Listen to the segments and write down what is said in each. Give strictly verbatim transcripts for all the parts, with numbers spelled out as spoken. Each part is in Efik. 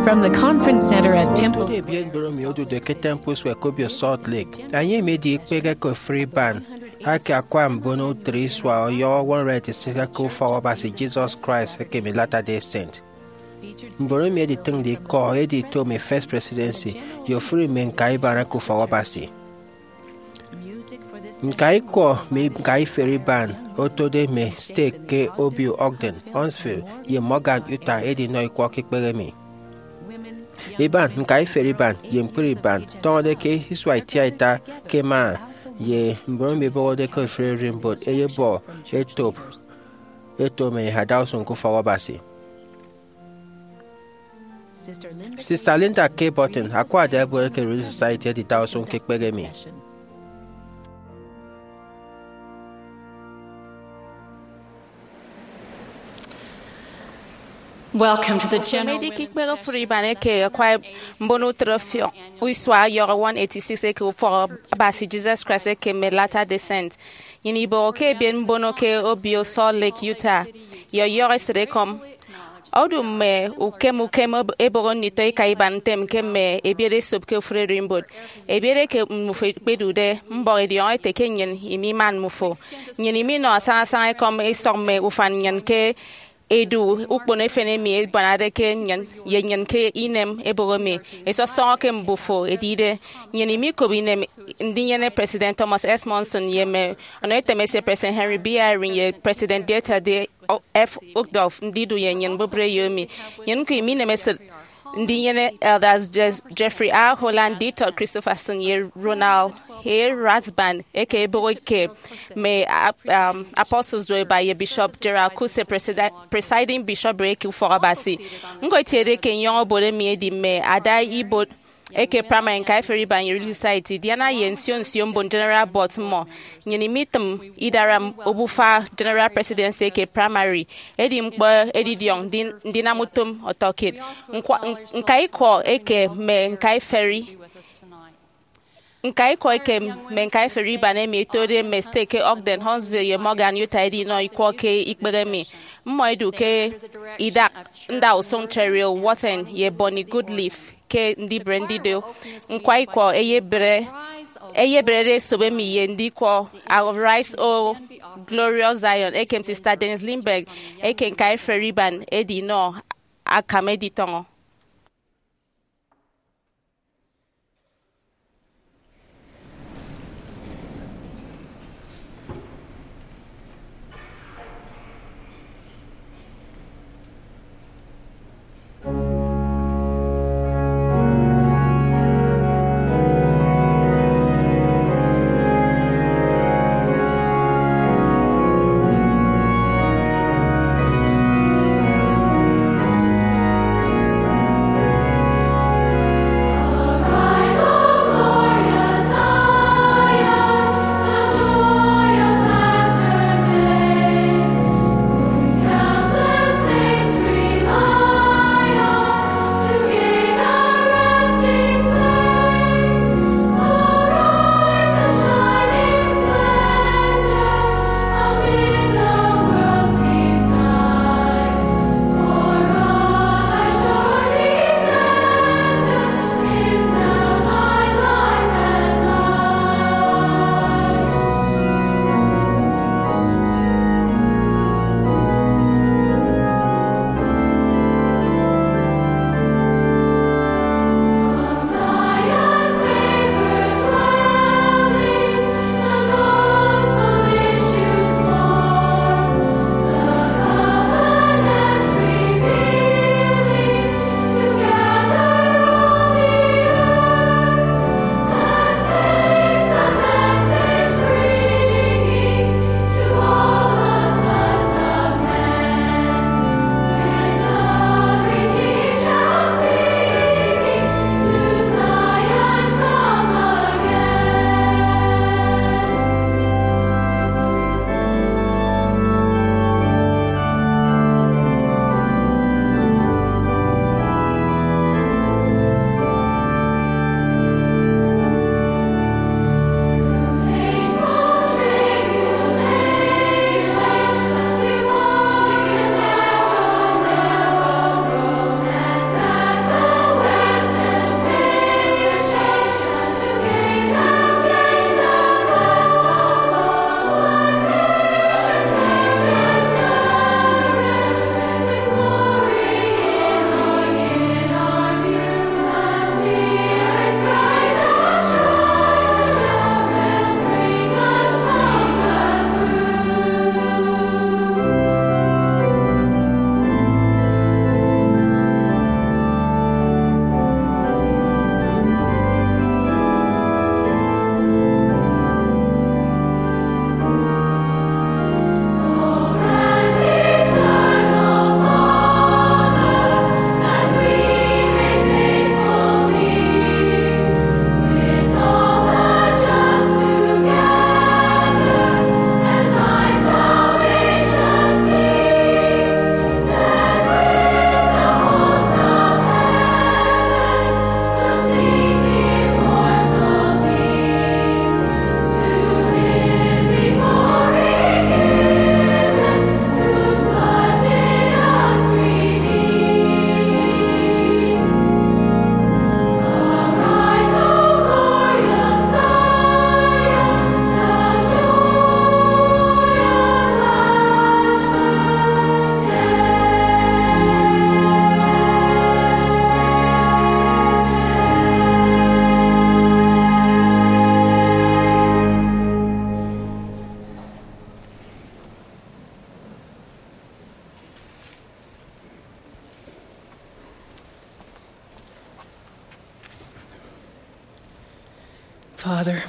From the Conference Center at Temple Square. Ebiet mbon emi odude ke Temple Square ke obio Salt Lake, ẹnyịme ẹdi ikpehe ke ofụri iban eke akwa mbon utịt isua ọyọhọ one hundred eighty-six eke ufọk Abasi Jesus Christ eke mme Latter-day Saint. Mbon emi ẹditịñde ikọ ẹdi ito mme First Presidency ye ofụri mme ñka iban eke ufọk Abasi. Ñka ikọ mme ñka iferi iban otode mme steeti ke obio Ogden, Huntsville, ye Morgan, Utah, ẹdinọ ikwọ ke ikpehe emi. Iban ñka iferi iban ye ñkpri iban tọñọde ke isua itiaita ke Mara, ye mbon emi ẹbọhọde ke ofụri ererimbot ẹyebọ etop eto mme adausụñ ke ufọk Abasi. Sister Linda K. Burton, akwa ada ebuere ke Relief Society, edida usụñ ke ikpehe emi. Welcome to the general. Mme edika ikpehe ofụri iban eke akwa mbon utịt ọfiọñ isua ọyọhọ one eighty-six eke ufọk Abasi Jesus Christ eke mme Latter-day Saint. Nnyịn ibọhọ ke ebiet mbono ke obio Salt Lake, Utah, ye ọyọhọ esịtekọm. Odu mme ukem ukem eb-, eboho nditọ ika iban ntem ke mme ebiet esop ke ofụri ererimbot. Ebiet eke mmufo ikpedude, mbọk idiọñọ ete ke nnyịn imiman mmufo. Nnyịn iminọ asañasaña ekọm isọk mme ufan nnyịn ke edu ukpono efen emi ebuanade ke nnyịn ye nnyịn ke inem eboho emi. Esọsọñọ ke mbufo edide, nnyịn imikop inem ndinyene President Thomas S. Monson ye mme ọnọetem esie President Henry B. Eyring ye President Dieter D. F. Uchtdorf ndidu ye nnyịn mbubreyo emi. Nnyịn ñko iminemesịt ndinyene Elders Je-, Jeffrey R. Holland, D. Todd Christofferson, ye Ronald A. Rasband, eke eboho ke mme ap-, um, Apostles Roeba, ye Bishop Gerald Cuse, presida-, presiding bishopric eke ufọk Abasi. Ñko etiede ke nyọñ obot emi edi mme ada ibuot eke primary ñka iferi iban ye Relief Society, Diana ye nsio nsio mbon General Board mmọ. Nnyịn imitịm idara obufa General Presidency eke primary, edi ñkpọ edidiọñ ndi-, ndinam utom ọtọkiet. Ñkwa-, ñka ikọ eke mme ñka iferi, ñka ikọ eke mme ñka iferi iban emi ẹtode mme steeti ke Ogden, Huntsville, ye Morgan, Utah, ẹdinọ ikwọ ke ikpehe emi. Mmọ ẹdu ke idak ndausụñ Cheryl Wathen ye Bonnie Goodleaf ke ndibre ndido ñkwa ikọ ẹyebre, ẹyebrede esop emi ye ndikwọ Arise, O Glorious Zion, ekem Sister Denise Lindberg eke ñka iferi iban edinọ akam editọñọ.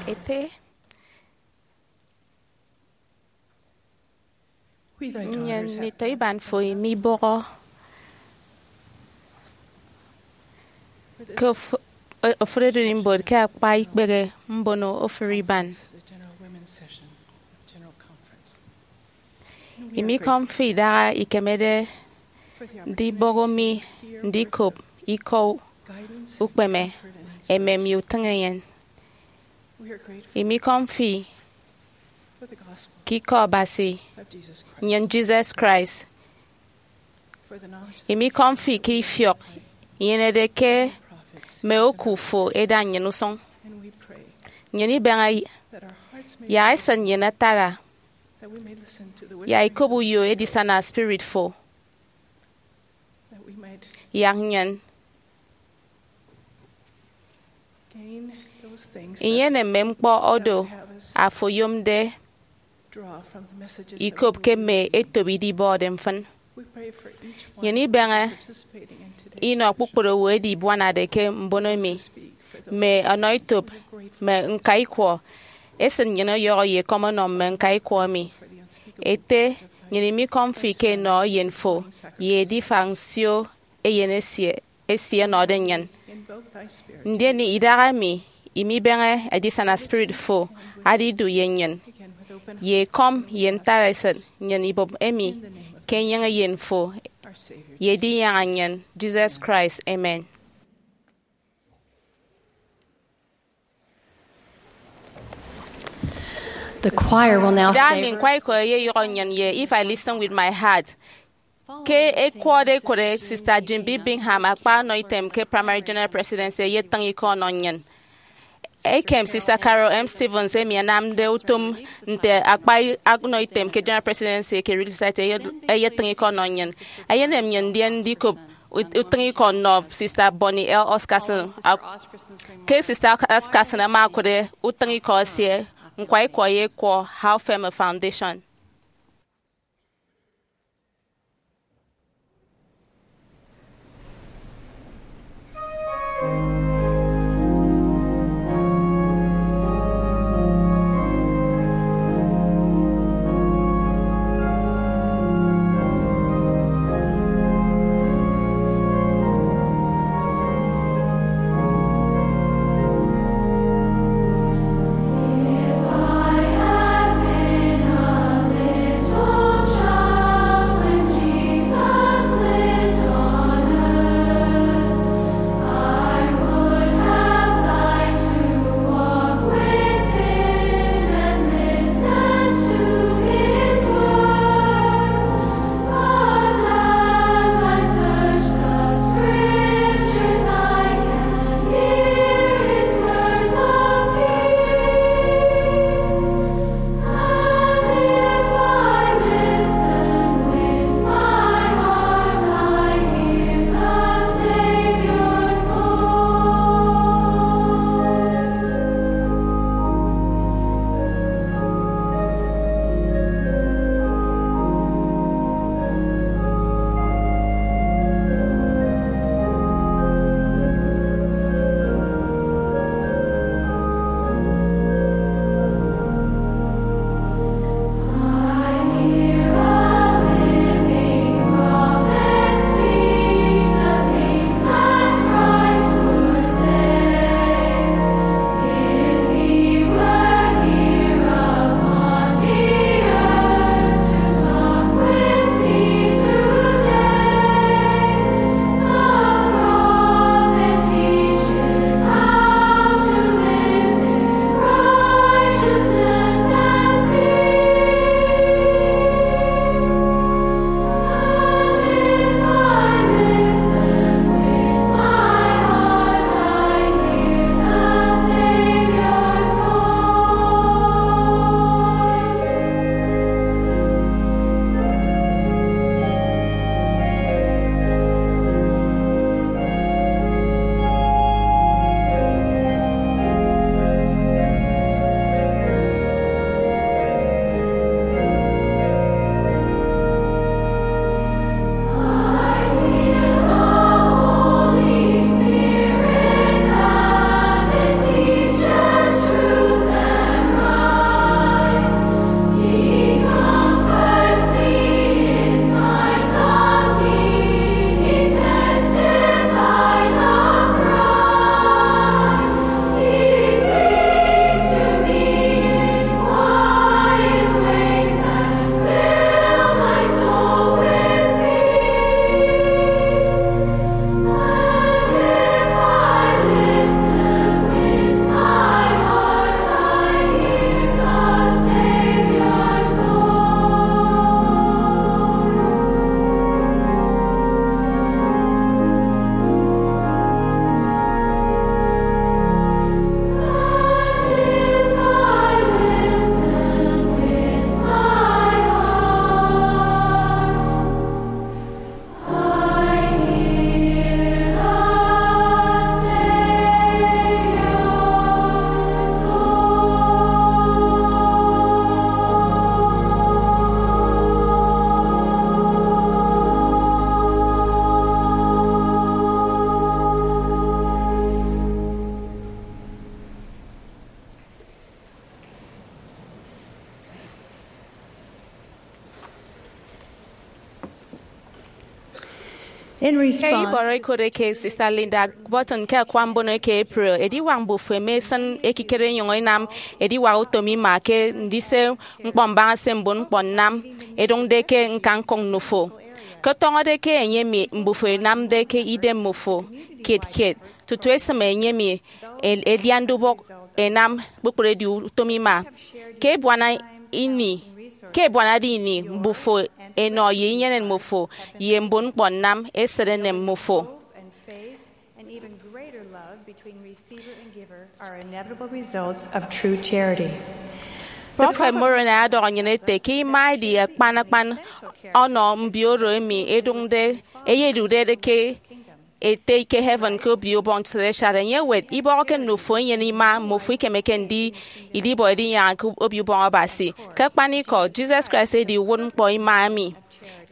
Ete, nnyịn nditọ iban fo imibọhọ ke ofụri ererimbot ke akpa ikpehe mbono ofụri iban. Imikọm fo idaha ikemede ndibọhọ mi ndikop ikọ ukpeme, emem, ye utịñenyịn. Imikọm fi ke ikọ Abasi nnyịn Jesus Christ. Imikọm fi ke ifiọk inyenede ke mme oku fo ẹda nnyịn usụñ. Nnyịn ibeñe yak esịt nnyịn atara yak ikop uyo edisana spirit fo, yak nnyịn inyene mme ñkpọ oro afo oyomde ikop ke mme etop idibọde mfịn. Nnyịn ibeñe inọ kpukpru owo ẹdibuanade ke mbono emi, mme ọnọetop, mme ñkaikwọ. Esịt nnyịn ọyọhọ ye ekọm ọnọ mme ñkaikwọ emi. Ete, nnyịn imikọm fi ke enọ eyen fo ye edifañ nsio eyen esie esie ẹnọde nnyịn. Ndien idaha emi imibeñe edisana spirit fo adidu ye nnyịn, ye ekọm ye ntara esịt nnyịn ibụp emi ke enyịñ eyen fo ye edinyaña nnyịn, Jesus Christ. Amen. The choir will now Idaha emi favor ñkwaikọ eyeyụhọ nnyịn ye If I Listen With My Heart. Ke ẹkwọde ẹkwọde, Sister Jim B. Bingham, akpa ọnọitem ke Primary General Presidency, eyetịñ ikọ ọnọ nnyịn. Ekem Sister Carol M. Stevens, emi anamde utom nte akpa ọnọitem ke General Presidency eke Relief Society, eye- eyetịñ ikọ ọnọ nnyịn. Eyenem nnyịn ndien ndikop ut- utịñikọ nnọ Sister Bonnie L. Oscarson. Ak- ke Sister Oscarson ama okụt utịñikọ esie, Ñkwaikọ Eyekwọ, How Firm a Foundation. Ke ibọrọ ikot eke Sista Linda Burton ke akwa mbono eke April, ediwak mbufo eme esịn ekikere inyụñ inam ediwak utom ima ke ndise ñkpọ mbaña se mbon ñkpọ nnam ẹdụñde ke ñkanñkụk nnufo. Ke tọñọde ke enye emi mbufo ẹnamde ke idem mmufo kiet kiet, tutu esịm enye emi e- edian ndubọk ẹnam kpukpru edi utom ima. Ke ebuana ini, ke ebuanade ini, mbufo ẹnọ ye inyenen mmufo ye mbon ñkpọ nnam esịt enem mmufo. And even greater love between receiver and giver are inevitable results of true charity. Prọfet Moroni ọdọhọ nnyịn ete ke ima edi akpan akpan ọnọ mbio oro emi ẹdụñde, ẹyedụkde ke ete ke heaven ke obio ubọñ celestial. Enye ewet ibọhọke nnufo inyene ima, mmufo ikemeke ndi idibọ edinyaña ke obio ubọñ Abasi. Ke akpanikọ, Jesus Christ edi uwụtñkpọ ima emi.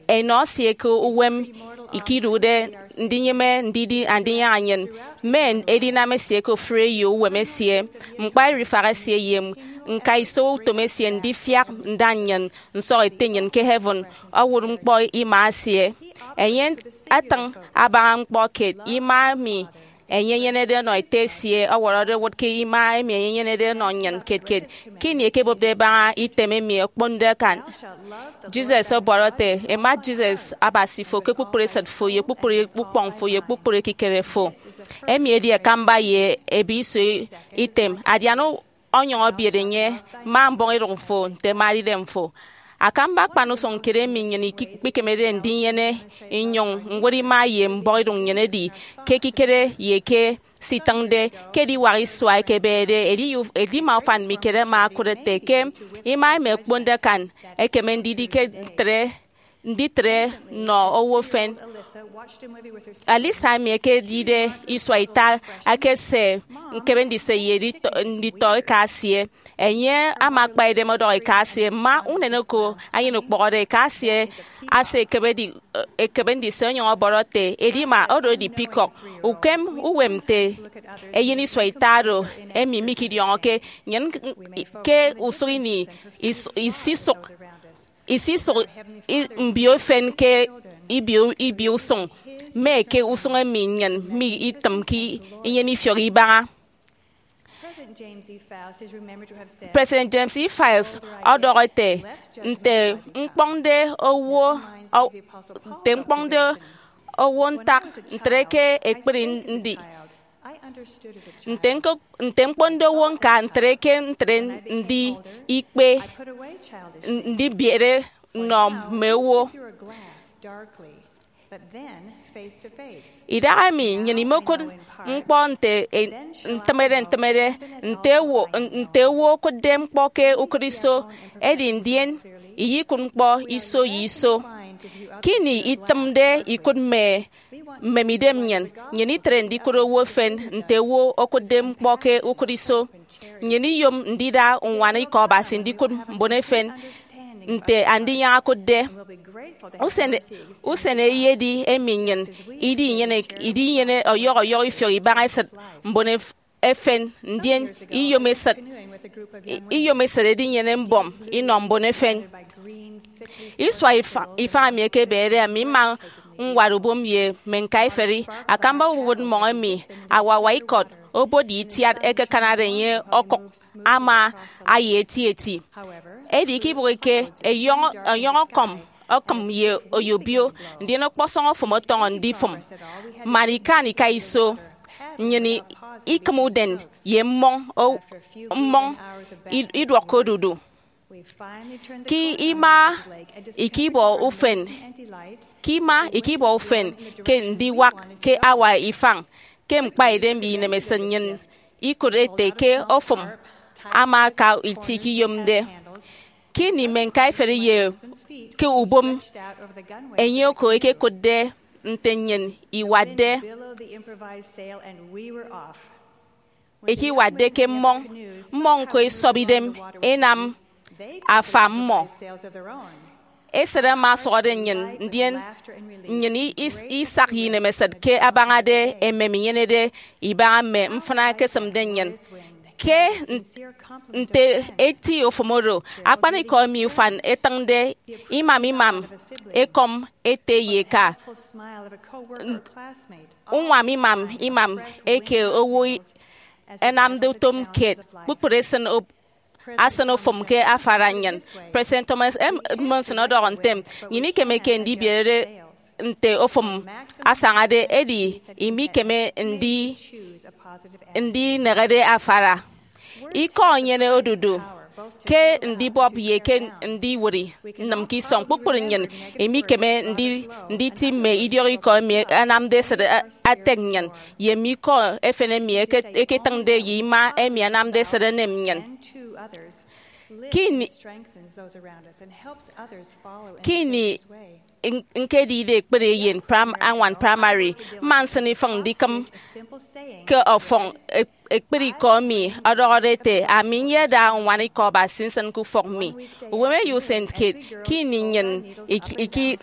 Enọ esie ke uwem ikidụkde ndinyịme ndidi andinyaña nnyịn, mme edinam esie ke ofụri eyo uwem esie, ñkpa erifak esie ye ñkaiso utom esie ndifiak nda nnyịn nsọk ete nnyịn ke heaven, owụt ñkpọ ima esie. Enye atịñ abaña ñkpọ kiet ima emi enye enyenede ọnọ ete esie ọwọrọde ẹwụt ke ima emi enye enyenede ọnọ nnyịn kiet kiet. Ke ini ẹkebopde ẹbaña item emi okponde akan, Jesus ọbọrọ ete, Emat Jesus Abasi fo ke kpukpru esịt fo ye kpukpru ukpọñ fo ye kpukpru ekikere fo. Emi edi akamba ye ebe iso item, adian onyụñ ebiet enye, ma mbọhọidụñ fo nte amaride fo. Akamba akpan usụñ kiet emi nnyịn ikpikemede ndinyene inyụñ ñwot ima ye mbọhọidụñ nnyịn edi ke ekikere ye ke se itịñde. Ke ediwak isua ẹkebede, edi- edima ufan mi kiet ama okụt ete ke ima emi okponde akan ekeme ndidi ke ntre nditre nnọ owo efen. Alyssa emi ekedide isua ita akese ñkebe ndise ye editọ- nditọ eka esie. Enye ama akpa idem ọdọhọ eka esie, Mma, unen oko anyin ukpọhọde. Eka esie ase ekebe di- ekebe ndise onyụñ ọbọrọ ete, Edima, oro edi peacock. Ukem uwem nte eyen isua ita oro emi mikidiọñọke nnyịn ke usụk ini is- isisụk isisụk i- mbio efen ke ibio ibio usụñ, mme ke usụñ emi nnyịn mi itịmke inyene ifiọk ibaña. President James E. Faust is remembered to have said, President James E. Faust ọdọhọ ete, Nte ñkpọñde owo, ọ- nte ñkpọñde owo ntak ntre ke ekpri ndi, nte ñko- nte ñkpọñde owo ñka ntre ke ntre ndi ikpe, n- ndibiere nnọ mme owo. Idahaemi nnyịn imokụt ñkpọ nte e- ntịmede ntịmede, nte owo, nte owo okụtde ñkpọ ke ukụt iso, edi ndien iyikụt ñkpọ iso ye iso. Ke ini itịmde ikụt mme mmemidem nnyịn, nnyịn itre ndikụt owo efen nte owo okụtde ñkpọ ke ukụt iso. Nnyịn iyom ndida uñwana ikọ Abasi ndikụt mbon efen nte Andinyaña okụtde. Usen, usen eyedi emi nnyịn idinyene idinyene ọyọhọ ọyọhọ ifiọk ibaña esịt mbon ef- efen, ndien iyom esịt, i- iyom esịt edinyene mbọm inọ mbon efen. Isua ifa- ifañ emi ekebede, ami mma ñwat ubom ye mme ñkaiferi. Akamba uwụtñkpọ emi awawa ikọt obot ye itiat ẹkekanade enye okụk ama aye eti eti. Edi ikibụghike, ẹyọñọ- ẹyọñọ ọkọm ọkịm ye oyobio, ndien ọkpọsọñ ofụm ọtọñọ ndifụm. Man ikan ika iso, nnyịn i- ikịm uden ye mmọñ o- mmọñ i- iduọk ke odudu. Ke ima ikibọ ufen, ke ima ikibọ ufen ke ndiwak ke awa ifañ, ke ñkpaidem ye inemesịt nnyịn ikụt ete ke ofụm ama aka itie ikiyomde. Ke ini mme ñkaiferi ye ke ubom enye oko ekekụtde nte nnyịn iwatde, ikiwatde ke mmọñ, mmọñ ñko esọp idem enam afa mmọ. Esịt ama ọsụhọde nnyịn, ndien nnyịn i- is- isak ye inemesịt ke abañade emem inyenede ibaña mme mfịna ẹkesịmde nnyịn. Ke nte eti ofụm oro, akpanikọ emi ufan etịñde imam imam ekọm ete ye eka, uñwam imam imam eke owo ẹnamde utom kiet, kpukpru esịn asịn ofụm ke afara nnyịn. President Thomas M. Monson ọdọhọ ntem, nnyịn ikemeke ndibierede nte ofụm asañade, edi imikeme ndi ndinehede afara. Ikọ enyene odudu ke ndibọp ye ke ndiwụri nnịm ke isọñ. Kpukpru nnyịn imikeme ndi nditi mme idiọk ikọ emi anamde esịt atek nnyịn, ye mme ikọ efen emi eketịñde ye ima emi anamde esịt enem nnyịn. Ke ini ke ini ñkedide ekpri eyen añwan praimari, mma nsịn ifịn ndikịm ke ọfọñ ekpri ikọ emi ọdọhọde ete, ami nyeda uñwana ikọ Abasi nsịn ke ufọk mi. Uwemeyo usen kiet, ke ini nnyịn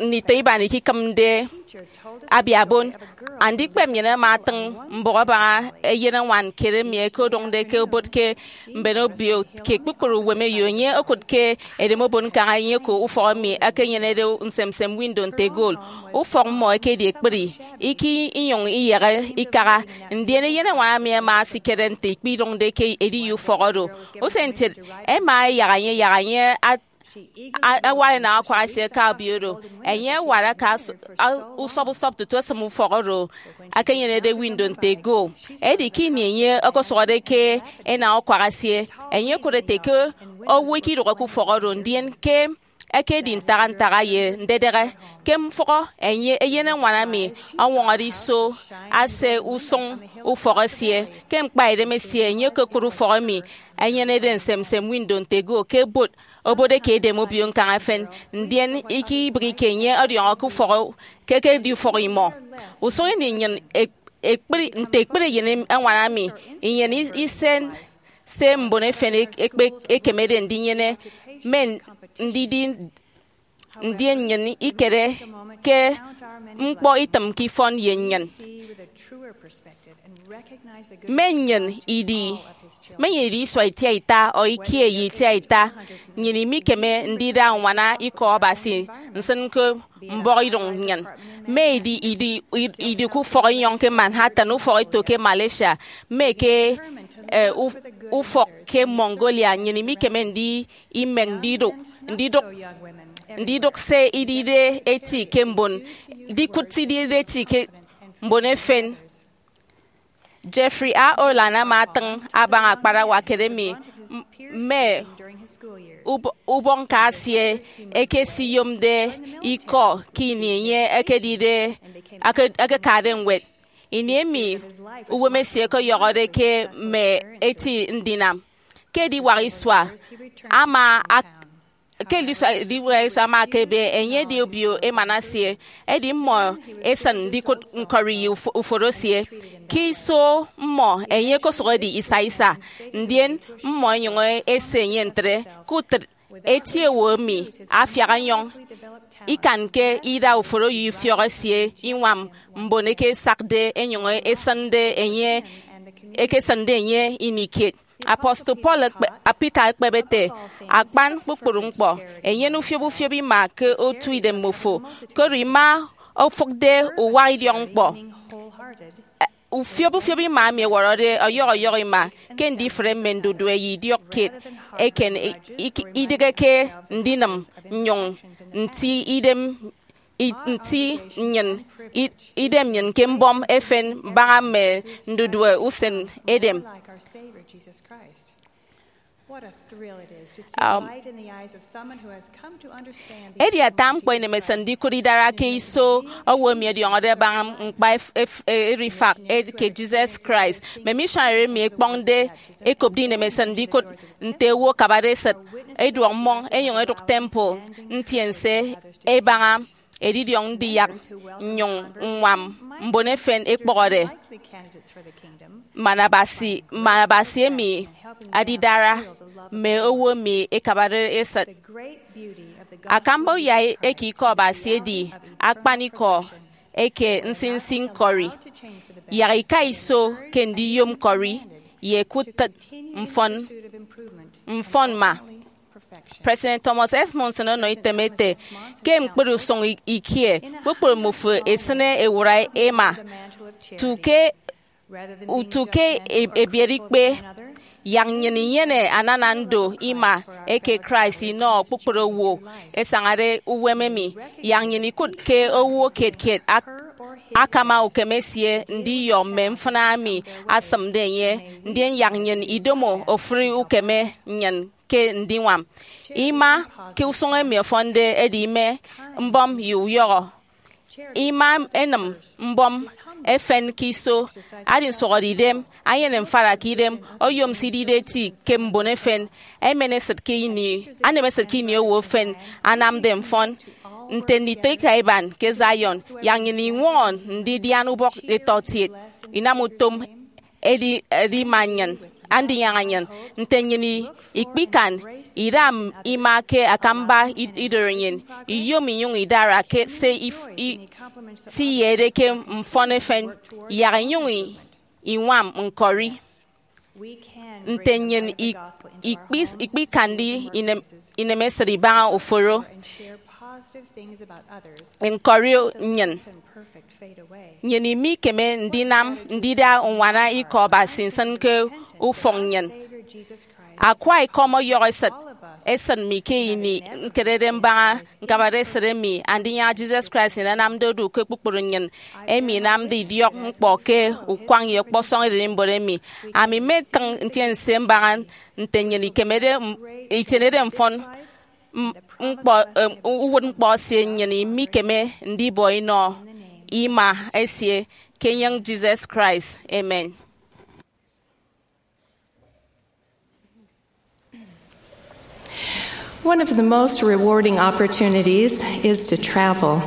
nditọ iban ikikịmde abiabon, andikpep nnyịn ama atịñ mbụk abaña eyeneñwan kiet emi ẹkodụñde ke obot ke mben obio. Ke kpukpru uwemeyo, enye okụt ke edem obon ñkañ enye ke ufọk emi ekenyenede nsemsem windo nte gol. Ufọk mmọ ekedi ekpri, iki inyụñ iyehe ikaha, ndien eyeneñwan emi ama asikere nte ikpidụñde ke ediye ufọk oro. Usen kiet, ẹma ẹyak enye yak enye awara enañ-akwak esie ke obio oro. Enye awara ke usọp usọp tutu esịm ufọk oro ekenyenede windo nte gol. Edi ke ini enye okosụhọde ke enañ-akwak esie, enye okụt ete ke owo ikidụhe ke ufọk oro, ndien ke ekedi ntaha ntaha ye ndedehe. Ke mfụhọ, enye eyeneñwan emi ọñwọñọde iso ase usụñ ufọk esie. Ke ñkpa edem esie, enye okokụt ufọk emi enyenede nsemsem windo nte gol ke obot obot eke edem obio ñkañ efen, ndien ikibịghike enye ọdiọñọ ke ufọk ke ekedi ufọk imọ. Usụñ ini nnyịn ekpri nte ekpri eyen añwan emi inyene isen se mbon efen ekpekemede ndinyene, mme ndidi ndien nnyịn ikere ke ñkpọ itịmke ifọn ye nnyịn. Mme nnyịn idi mme nnyịn idi isua itiaita ọ ikie ye itiaita, nnyịn imikeme ndida uñwana ikọ Abasi nsịn ke mbọhọidụñ nnyịn. Mme idi idi idi ke ufọk enyọñ ke Manhattan, ufọk eto ke Malaysia, mme ke ufọk ke Mongolia, nnyịn imikeme ndi imeñ ndidụk ndidụk ndidụk se idide eti ke mbon ndikụt se idide eti ke mbon efen. Jeffrey A. Holland ama atịñ abaña akparawa kiet emi mme ubọkñka esie ekesiyomde ikọ ke ini enye ekedide ekekade ñwed. Ini emi uwem esie ọkọyọhọde ke mme eti ndinam ke ediwak isua ama ke ediwak isua ama akebe, enye edi obio emana esie, edi mmọ esịn ndikụt ñkọri ye uforo esie. Ke iso mmọ, enye okosụk edi isa isa, ndien mmọ enyụñ ese enye ntre. Ke utịt, eti owo emi afiak enyọñ ikanke ida uforo ye ifiọk esie iñwam mbon eke esakde enyụñ esịnde enye ekesịnde enye ini kiet. Apostle Paul Peter ekpep ete, akpan kpukpru ñkpọ, enyene ufiop ufiop ima ke otu idemmofo, koro ima ofụkde uwak idiọkñkpọ. Ufiop ufiop ima emi ẹwọrọde ọyọhọ ọyọhọ ima ke ndifre mme ndudue ye idiọk kiet eken, idịghe ke ndinịm nnyụñ nti idem nti nnyịn idem nnyịn ke mbọm efen mbaña mme ndudue usen edem. Edi ata ñkpọ inemesịt ndikụt idara ke iso owo emi ọdiọñọde abaña ñkpa erifak eke Jesus Christ. Mme missionary emi ẹkpọñde ẹkopde inemesịt ndikụt nte owo akabade esịt, ẹduọk mmọñ ẹnyụñ ẹdụk temple ntiense ẹbaña edidiọñ ndiyak nnyụñ ññwam mbon efen ẹkpọhọde man Abasi, man Abasi emi adidara mme owo emi ẹkabade esịt. Akamba uyai eke Ikọ Abasi edi akpanikọ eke nsinsi ñkọri. Yak ika iso ke ndiyom ñkọri, ye ke utịt mfọn mfọn mma. President Thomas S. Monson ọnọ item ete, ke ñkpere usụñ ikie, kpukpru mmufo esịne ewụra ima. Tu ke utu ke ebiere ikpe, yak nnyịn inyene anana ndo ima eke Christ inọ kpukpru owo ẹsañade uwem emi. Yak nnyịn ikụt ke owo kiet kiet akama ukeme esie ndiyọ mme mfịna emi asịmde enye, ndien yak nnyịn idomo ofụri ukeme nnyịn ke ndiñwam ima ke usụñ emi ọfọnde edi ime mbọm ye uyọhọ. Ima enịm mbọm efen ke iso, adi nsụhọdeidem, anyene mfara ke idem, oyom se idide eti ke mbon efen, emen esịt ke ini, anem esịt ke ini owo efen anamde mfọn. Nte nditọeka iban ke Zion, yak nnyịn iñwọñọ ndidian ubọk etọtiet, inam utom edi edima nnyịn, andinyaña nnyịn. Nte nnyịn ikpikan ida ima ke akamba idoro nnyịn, iyom inyụñ idara ke se iyede ke mfọn efen, yak inyụñ iñwam ñkọri. Nte nnyịn ikpikande inemesịt ibaña uforo ñkọri nnyịn, nnyịn imikeme ndinam ndida uñwana Ikọ Abasi nsịn ke ufọk nnyịn. Akwa Ikọ ọmọyọhọ esịt esịt mi ke ini ñkerede mbaña ñkabade esịt emi Andinyaña Jesus Christ nnyịn anamde odu ke kpukpru nnyịn, emi inamde idiọk ñkpọ ke ukwañ ye ọkpọsọñ ererimbot emi. Ami mmetịñ ntiense mbaña nte nnyịn ikemede itienede mfọn ñkpọ uwụtñkpọ esie, nnyịn imikeme ndibọ inọ ima esie ke enyịñ Jesus Christ. Amen. One of the most rewarding opportunities is to travel.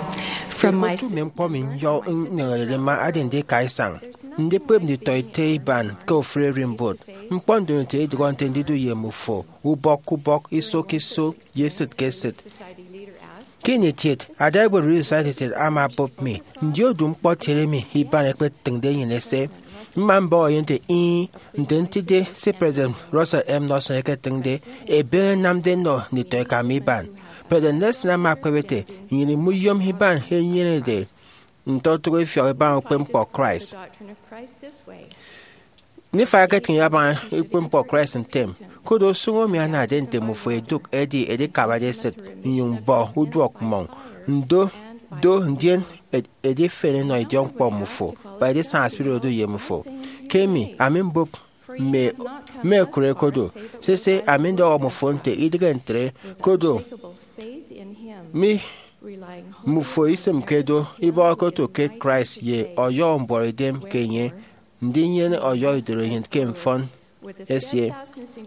From my Otu mme ñkpọ mi nyọ nneñerede mma adi ndika isañ, ndikpep nditọete iban ke ofụri ererimbot. Ñkpọ ndomoto idụhọ nte ndidu ye mmufo ubọk ke ubọk, iso ke iso, ye esịt ke esịt. Ke ini etiet, ada ewe Relief Society etiet ama bụp mi, ndi odu ñkpọtiede emi iban ẹkpetịñde nnyịn ese? Mma mbọhọ ye nte, Ih, nte ntide se President Russell M. Nelson eketịñde, ebe enamde nnọ nditọeka mi iban. President Nelson ama ekpep ete, Nnyịn imuyom iban enyenede ntotụk ifiọk ibaña ukpepñkpọ Christ. Nifai eketịñ ibaña ukpepñkpọ Christ ntem, koro usụñ emi anade nte mmufo idụk edi edikabade esịt, nnyụñ bọ uduọk mmọñ, ndo, do, ndien edifen enọ idiọkñkpọ mmufo, kpa edisaña spirit odu ye mmufo. Ke emi, ami mbụp mme ekụre kodo, sese, ami ndọhọ mmufo nte idịghe ntre, kodo mi mmufo isịmke do ibọhọke oto ke Christ ye ọyọhọ mbuọtidem ke enye, ndinyene ọyọhọ idoro enyịn ke mfọn esie.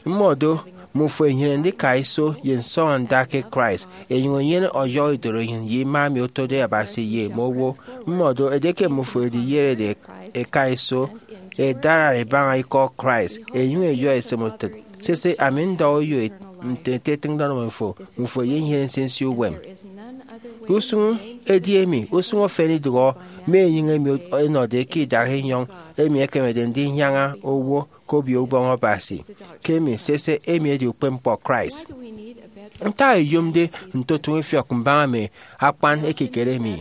Mmọdo, mmufo inyene ndika iso ye nsọñọ nda ke Christ, enyụñ enyene ọyọhọ idoro enyịn ye ima emi otode Abasi ye mme owo. Mmọdo, edieke mmufo ediyerede eka iso, edara ibaña ikọ Christ, enyụñ eyọ esịm utịt. Sese, ami ndọhọ uyo nte nte etịñde ọnọ mmufo, mmufo eyenyene nsinsi uwem. Usụñ edi emi, usụñ efen idụhọ mme enyịñ emi ẹnọde ke idak enyọñ emi ẹkemede ndinyaña owo ke Obio Ubọñ Abasi. Ke emi, sese, emi edi ukpepñkpọ Christ. Ntak iyomde ntotụñ ifiọk mbaña mme akpan ekikere mi?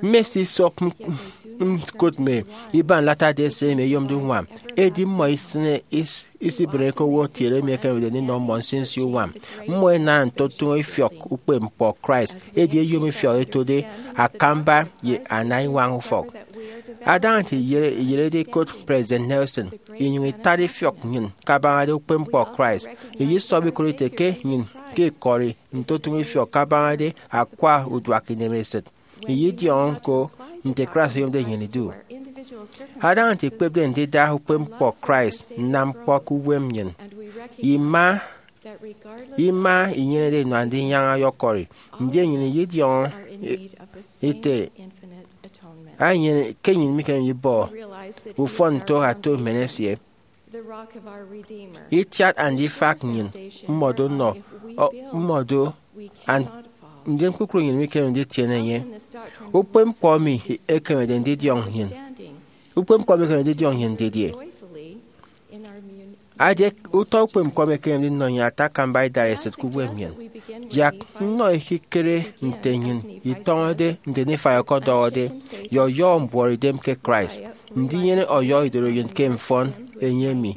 Mmesisọp ñkụt mme iban Latter-day Saint emi ẹyomde uñwam, edi mmọ isịne isibịne ke owo kiet emi ekemede ndinọ mmọ nsinsi uñwam. Mmọ ẹnana ntotụñ ifiọk ukpepñkpọ Christ, edi ẹyom ifiọk ẹtode akamba ye ana iñwañ ufọk. Adaña nte iyerede ikot President Nelson, inyụñ itat ifiọk nnyịn kabañade ukpepñkpọ Christ, iyisọbọ ikot ite ke nnyịn ke ikọri ntotụñ ifiọk kabañade akwa uduak inemesịt. Iyidiọñọ ñko nte Christ oyomde nnyịn idu. Adaña nte ikpepde ndida ukpepñkpọ Christ nnam ñkpọ ke uwem nnyịn, ima ima inyenede inua ndinyaña ọyọkọri, ndien nnyịn iyidiọñọ ete, ke nnyịn mikeme ibọ ufọn nto ato mmen esie. Itiat andifak nnyịn mmọdo nnọ mmọdo, ndien kpukpru nnyịn mikeme nditiene enye. Ukpepñkpọ emi ekemede ndidiọñ nnyịn. Ukpepñkpọ emi ekemede ndidiọñ nnyịn didie? Edieke utọ ukpepñkpọ emi ẹkemede ndinọ nnyịn ata akamba idareset ke uwem nnyịn, yak nnọ ekikere nte nnyịn itọñọde nte Nifai ọkọdọhọde, ye ọyọhọ mbuọtidem ke Christ, ndinyene ọyọhọ idorenyin ke mfọn enye emi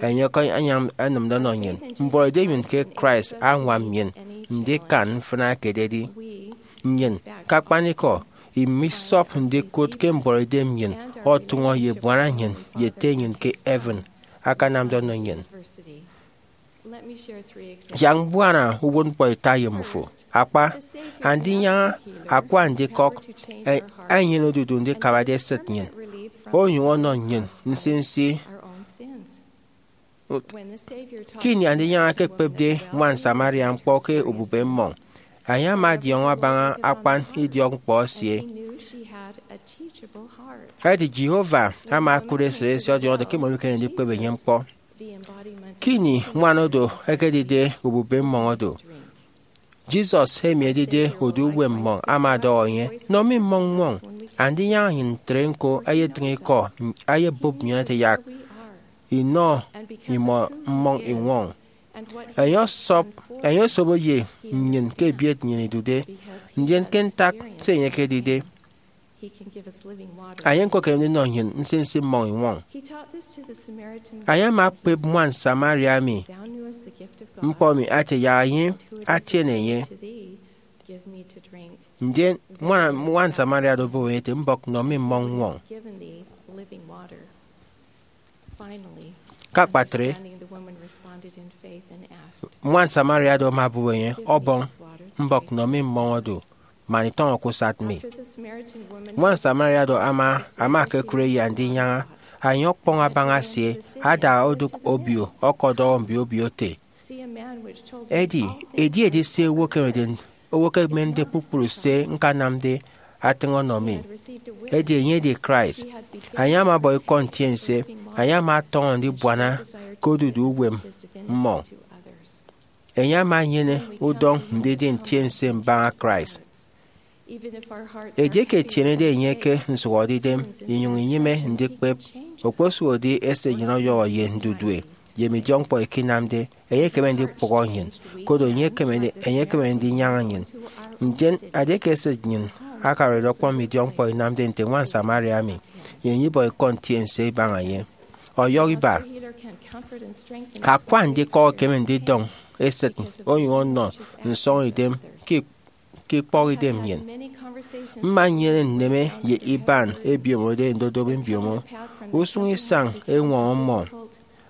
enye ọkọnyaña enịmde ọnọ nnyịn. Mbuọtidem nnyịn ke Christ añwam nnyịn ndikan mfịna ekededi. Nnyịn, ke akpanikọ, imisọp ndikụt ke mbuọtidem nnyịn ọtụñọ ye ebuana nnyịn ye Ete nnyịn ke heaven akanamde ọnọ nnyịn. Yak mbuana uwụtñkpọ ita ye mmufo. Akpa, andinyaña akwa ndikọk e- enyene odudu ndikabade esịt nnyịn, onyụñ ọnọ nnyịn nsinsi. Ke ini andinyaña ekekpepde ñwan Samaria ñkpọ ke ubube mmọñ, enye ama ọdiọñọ abaña akpan idiọkñkpọ esie. Edi Jehovah ama okụt esịt esie ọdiọñọde ke imọ mikeme ndikpep enye ñkpọ. Ke ini ñwan oro ekedide ubube mmọñ oro, Jesus, emi edide odu uwem mmọñ, ama ọdọhọ enye, "Nọ mi mmọñ ñwọñ." Andinyaña nnyịn ntre ñko eyetịñ ikọ, eyebụp nnyịn ete yak inọ imọ mmọñ iñwọñ. Enye ọsọp, enye osobo ye nnyịn ke ebiet nnyịn idude, ndien ke ntak se enye ekedide, enye ñko ekeme ndinọ nnyịn nsinsi mmọñ iñwọñ. Enye ama okpep ñwan Samaria emi ñkpọ emi ete yak enye atiene enye. Ndien ñwan, ñwan Samaria oro obụp enye ete, "Mbọk nọ mi mmọñ ñwọñ." Ke akpatre, ñwan Samaria oro ama obụp enye, "Ọbọñ, mbọk nọ mi mmọñ oro, man itọñọ ke usat mi." Ñwan Samaria oro ama, ama ekekụre ye andinyaña, enye ọkpọñ abaña esie, ada odụk obio, ọkọdọhọ mbio obio ete, "Edi, edi edi se owo ekemede, owo ekemende kpukpru se ñkanamde atịñ ọnọ mi." Edi enye edi Christ. Enye ama ọbọ ikọ ntiense, enye ama ọtọñọ ndibuana ke odudu uwem mmọñ. Enye ama enyene udọñ ndidi ntiense mbaña Christ. Edieke etienede enye ke nsụhọdeidem inyụñ inyịme ndikpep, okposụkedi esịt nnyịn ọyọhọ ye ndudue ye mme idiọkñkpọ ẹkenamde, enye ekeme ndikpụhọ nnyịn, koro enye ekeme, enye ekeme ndinyaña nnyịn. Ndien edieke esịt nnyịn akararede ọkpọñ mme idiọkñkpọ inamde nte ñwan Samaria emi, nnyịn ibọ ikọ ntiense ibaña enye. Ọyọhọ iba, akwa ndikọk ekeme ndidọñ esịt onyụñ ọnọ nsọñidem ke ke ikpọhidem nnyịn. Mma nnyene nneme ye iban ebiomode ndodobo mbiomo usụñ isañ eñwọñọ mmọ,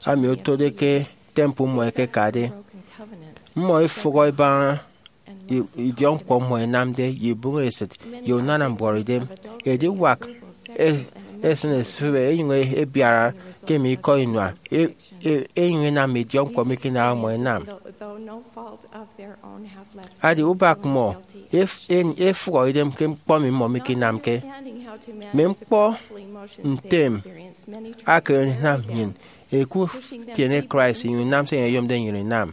ami otode ke temple mmọ ẹkekade. Mmọ ẹfụhọ ẹbaña i- idiọkñkpọ mmọ ẹnamde ye ibụñesịt ye unana mbuọtidem. Ediwak e- esịn esịbe enyụñ ebiara ke mme ikọ inua, e- e- enyụñ ẹnam mme idiọkñkpọ mikinaha mmọ ẹnam. Adi ubak mmọ ef- en- efụhọ idem ke ñkpọ emi mmọ mikinamke. Mme ñkpọ ntem akere ndinam nnyịn ikutiene Christ inyụñ inam se enye oyomde nnyịn inam.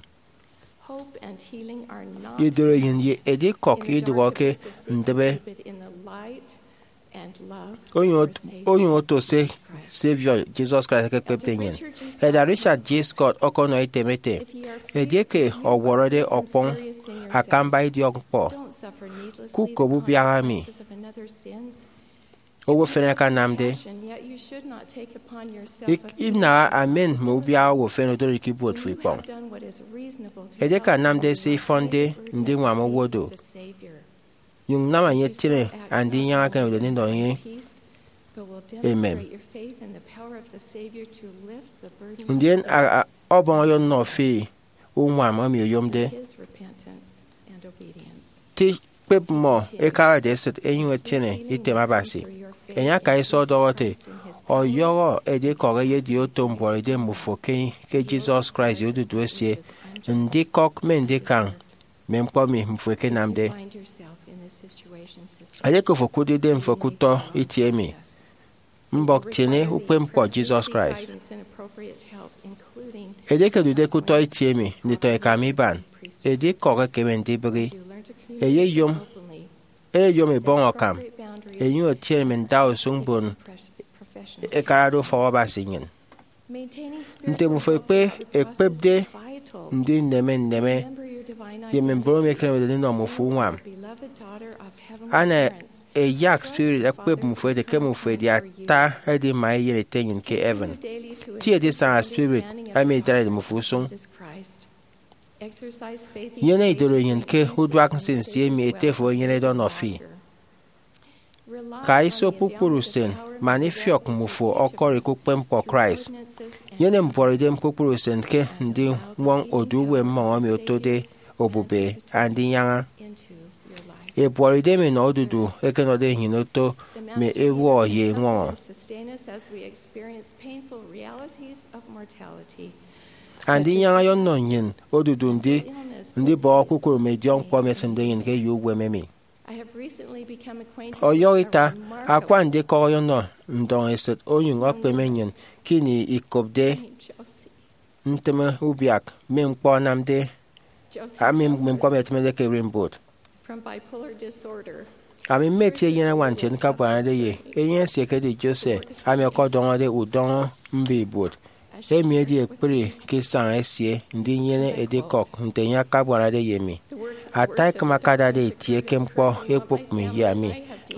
Idorenyin ye edikọk idụhọ ke ndịbe onyụñ ot- onyụñ oto se Saviour Jesus Christ ekekpepde nnyịn. Elder Richard G. Scott ọkọnọ item ete, edieke ọwọrọde ọkpọñ akamba idiọkñkpọ, kukop ubiaha emi owo efen akanamde. Ik- Inaha amen mme ubiaha owo efen odoride ke ibuot fo ikpọñ. Edieke anamde se ifọnde ndiñwam owo do, nyụñ nam enye etiene andinyaña ekemede ndinọ enye. Amen. Ndien a- a- ọbọñ ọyọnọ fi uñwam emi oyomde. Ti kpep mmọ ẹkarade esịt ẹnyụñ ẹtiene item Abasi. Enye aka iso ọdọhọ ete, ọyọhọ edikọk eyedi oto mbuọtidem mbufo ke, ke Jesus Christ ye odudu esie, ndikọk mme ndikañ mme ñkpọ emi mmufo ẹkenamde. Edieke ofo okụtde idemfo ke utọ itie emi, mbọk tiene ukpepñkpọ Jesus Christ. Edieke odude ke utọ itie emi, nditọ ẹkam iban, edikọk ekeme ndibịghi. Eyeyom, eyeyom ebọñ akam, enyụñ etiene mme ndausụñ mbon ẹkarade ufọk Abasi nnyịn. Nte mmufo ekpe ekpepde ndineme nneme ye mme mbon emi ẹkenemede ndinọ mmufo uñwam, ana eyak spirit ẹkpep mmufo ete ke mmufo ẹdi ata edima eyen Ete nnyịn ke heaven. Tie edisaña spirit emi idarede mmufo usụñ. Nyene idoro enyịn ke uduak nsinsi emi ete fo enyenede ọnọ fi. Ka iso kpukpru usen man ifiọk mmufo ọkọri ke ukpepñkpọ Christ. Nyene mbuọtidem kpukpru usen ke ndiñwọñ odu uwem mmọñ emi otode obube Andinyaña. Ebuọtidem inọ odudu ẹkenọde nnyịn oto mme ewụhọ ye eñwọñọ. Andinyaña ọyọnọ nnyịn odudu ndi ndibọhọ kpukpru mme idiọkñkpọ emi ẹsịmde nnyịn ke eyo uwem emi. Ọyọhọ ita, akwa ndikọk ọyọnọ ndọñesịt onyụñ okpeme nnyịn ke ini ikopde ntịme ubiak mme ñkpọ anamde, ami mme ñkpọ emi ẹtịmede ke ererimbot. Ami mmetie eyen añwan ntienke abuanade ye enye esie ekedi Jose, ami ọkọdọñọde udọñọ mbe ibuot. Emi edi ekpri ke isañ esie ndinyene edikọk nte enye akabuanade ye mi. Ata ekịm akadade itie ke ñkpọ ekpụk mi ye ami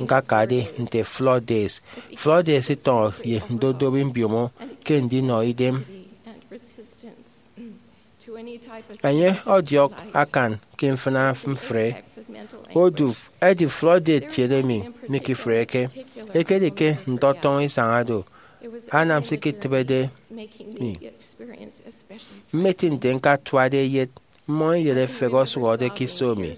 ñkakade nte floodgates. Floodgates itọñọ ye ndodobi mbiomo ke ndinọ idem. Enye ọdiọk akan ke mfịna mfre. Odu edi floodgate kiet emi mikifreke. Ekedi ke ndọtọñọ isañ do, anam se iketịbede mi. Mmeti nte ñkatuade eyet mmọñ eyet efehe ọsụhọde ke iso mi.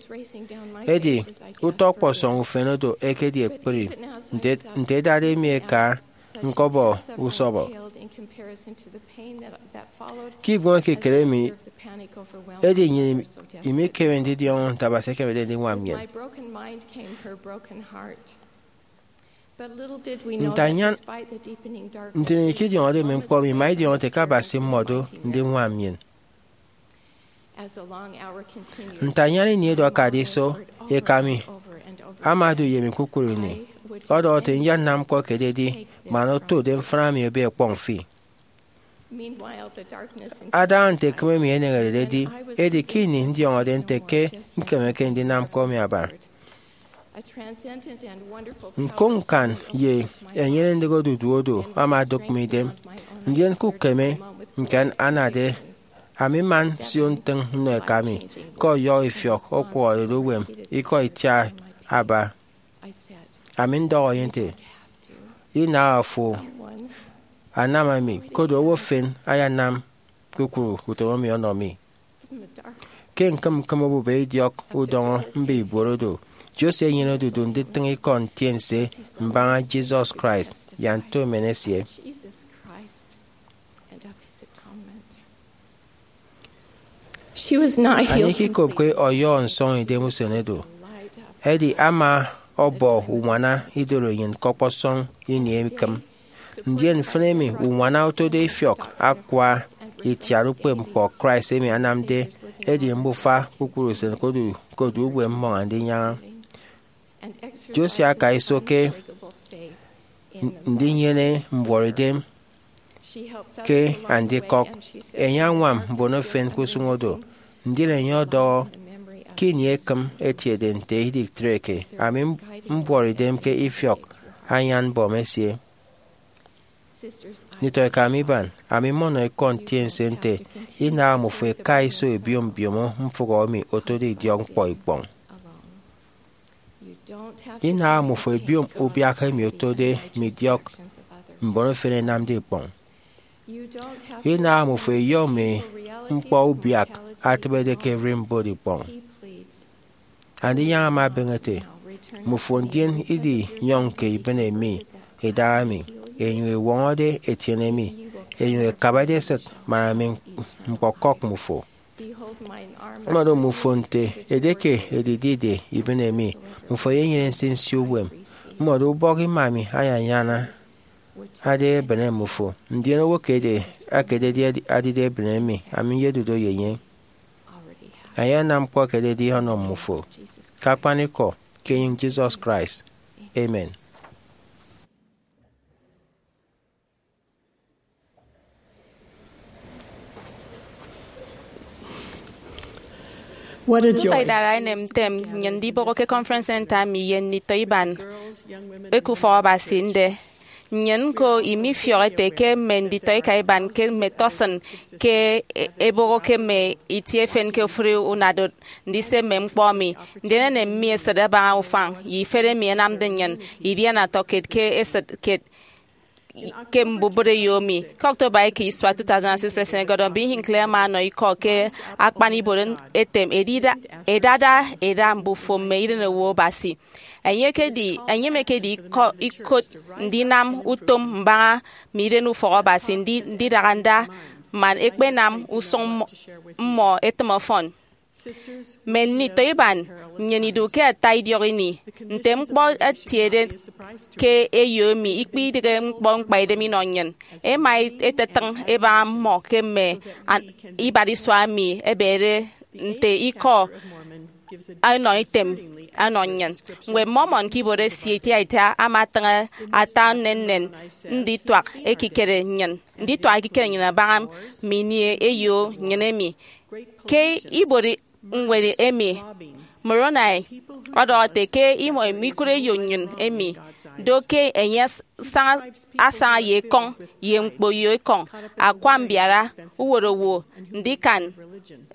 Edi utọ ọkpọsọñ ufen odo ekedi ekpri, nte, nte edade mi eka ñkọbọ usọbọ. Ke ibuoño ekikere mi, edi nnyịn imikeme ndidiọñọ nte Abasi ekemede ndiñwam nnyịn. Nte anyan ntịñenyịn ikidiọñọde mme ñkpọ emi, ima idiọñọ ete ke Abasi mmọdo ndiñwam nnyịn. Nte anyan ini edu akade iso, eka mi ama odu ye mi kpukpru ini, ọdọhọ ete, "Nyanam ñkpọ ekededi man otode mfịna mi ebe ọkpọñ fi." Adaña nte ekịm emi eneñerede edi, edi ke ini ndiọñọde nte ke ñkemeke ndinam ñkpọ emi aba. Ñkoñ ñkan ye enyene-ndịk odudu odo ama odụk mi idem, ndien ke ukeme nte anade, ami mma nsio ntịñ nnọ eka mi ke ọyọhọ ifiọk ọkwọhọde odu uwem ikọ itiaba. Ami ndọhọ enye nte, "Inaha fo anam emi, koro owo efen ayanam kpukpru utom emi ọnọ mi." Ke ñkịm ñkịm obube idiọk udọñọ mbe ibuot odo, Jose enyene odudu nditịñ ikọ ntiense mbaña Jesus Christ ye nto emen esie. She was not healed. Enye ikikopke ọyọhọ nsọñidem usen odo, edi ama ọbọ uñwana idoro enyịn ke ọkpọsọñ ini ekịm. Ndien mfịna emi uñwana otode ifiọk akwa itiat ukpepñkpọ Christ emi anamde edi mbufa kpukpru usen ke odu, ke odu uwem mmọñ Andinyaña. Jose aka iso ke ndinyene mbuọtidem ke andikọk. Enye añwam mbon efen ke usụñ odo, ndien enye ọdọhọ ke ini ekịm etiede nte iditreke, ami mbuọtidem ke ifiọk anyanbọm esie. Nditọeka mi iban, ami mmọnọ ikọ ntiense nte inaha mmufo eka iso ebiom mbiomo mfụhọ emi otode idiọkñkpọ ikpọñ. Inaha mmufo ebiom ubiak emi otode mme idiọk mbon efen ẹnamde ikpọñ. Inaha mmufo eyọ mme ñkpọ ubiak atịbede ke ererimbot ikpọñ. Andinyaña ama ebeñe ete, "Mmufo ndien idinyọñke ibịne mi idaha mi, enyụñ ewọñọde etiene mi, enyụñ ekabade esịt man ami ñkpọkọk mmufo." Mmọdo mmufo nte edieke edidide ibịne mi, mmufo ẹyenyene nsinsi uwem. Mmọdo ubọk ima mi ayanyanade ebịne mmufo, ndien owo ke edi akededi adide ebịne mi, ami nyedu do ye enye. Ayanam ñkpọ ekededi ọnọ mmufo. Ke akpanikọ, ke enyịñ Jesus Christ. Amen. What a joy. Nso idara enem ntem nnyịn ndibọhọ ke Conference Center mi ye nditọ iban eke ufọk Abasi nde. Nnyịn ñko imifiọk ete ke mme nditọ ika iban ke mme tọsịn ke e- ebọhọ ke mme itie efen ke ofụri unadot ndise mme ñkpọ mi. Ndien enem mi esịt abaña ufañ ye ifet emi ẹnamde nnyịn idiana tọkiet ke esịt kiet ke mbubịt eyo mi. Ke October eke isua two thousand six, President Gordon B. Hinckley ama ọnọ ikọ ke akpan ibuot etem, Edida, edada eda mbufo mme irenowo Abasi. Enye ekedi, enye emekedi ikọ, ikot ndinam utom mbaña mme iren ufọk Abasi, ndi, ndidara nda man ẹkpenam usụñ mmọ, mmọ ẹtịm ọfọn. Mme nditọ iban, nnyịn idu ke ata idiọk ini. Nte ñkpọ etiede ke eyo emi, ikpidịghe ñkpọ ñkpaidem inọ nnyịn. Ẹma ẹtetịñ ẹbaña mmọ ke mme an- ibat isua emi ẹbede nte ikọ ẹnọ item ẹnọ nnyịn. Ñwed Mormon ke ibuot esie itiaita ama atịñ ata nnennen ndituak ekikere nnyịn, ndituak ekikere nnyịn abaña mme ini eyo nnyịn emi. Ke ibuot ñwed emi, Moroni ọdọhọ ete ke imọ mikụt eyo nnyịn emi, do ke enye asaña, asaña ye ekọñ, ye ñkpo ye ekọñ, akwa mbiara, uwot owo, ndikan,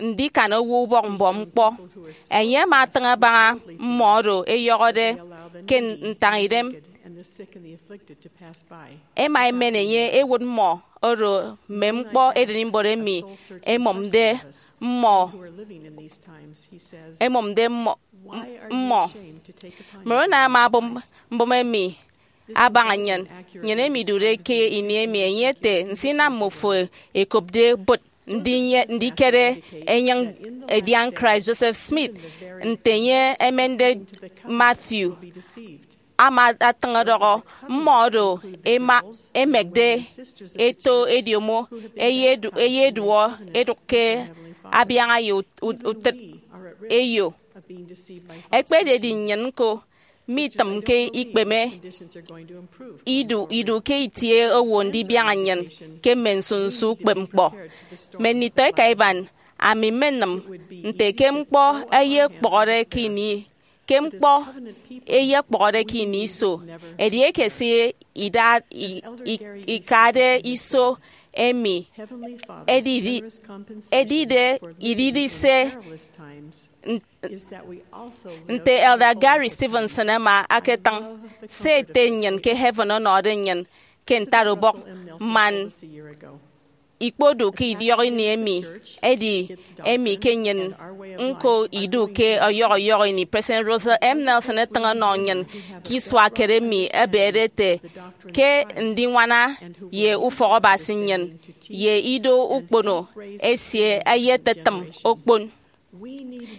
ndikan owo ubọk mbọm ñkpọ. Enye ama atịñ abaña mmọ oro ẹyọhọde ke ntañidem. Ẹma ẹmen enye ẹwụt mmọ oro mme ñkpọ edenimbot emi ẹmụmde mmọ, ẹmụmde mmọ, mmọ. Moroni ama abụm mbụme emi abaña nnyịn, nnyịn emi idude ke ini emi, enye ete, nsinam mmufo ẹkopde bụt ndinye, ndikere enyịñ edian Christ. Joseph Smith, nte enye emende Matthew, ama atịñ ọdọhọ, mmọ oro ẹma, ẹmekde eto ediomo, ẹyedu-, ẹyeduọ ẹdụk ke abiaña ye ut-, ut-, utịt eyo. Ekpededi nnyịn ñko, mitịmke ikpeme idu, idu ke itie owo ndibiaña nnyịn ke mme nsunsu ukpepñkpọ. Mme nditọ eka iban, ami mmenịm nte ke ñkpọ ẹyekpọhọde ke ini, ke ñkpọ ẹyekpọhọde ke ini iso, edieke se ida-, i-, i-, ikade iso emi edidi, edide, idide se n-, nte Elder Gary Stevenson ama aketịñ, se Ete nnyịn ke heaven ọnọde nnyịn ke ntatubọk man ikpodu ke idiọk ini emi, edi emi ke nnyịn ñko idu ke ọyọhọ ọyọhọ ini. President Russell M. Nelson etịñ ọnọ nnyịn ke isua kiet emi, ebede ete ke ndiñwana ye ufọk Abasi nnyịn ye ido ukpono esie ẹyetetịm okpon.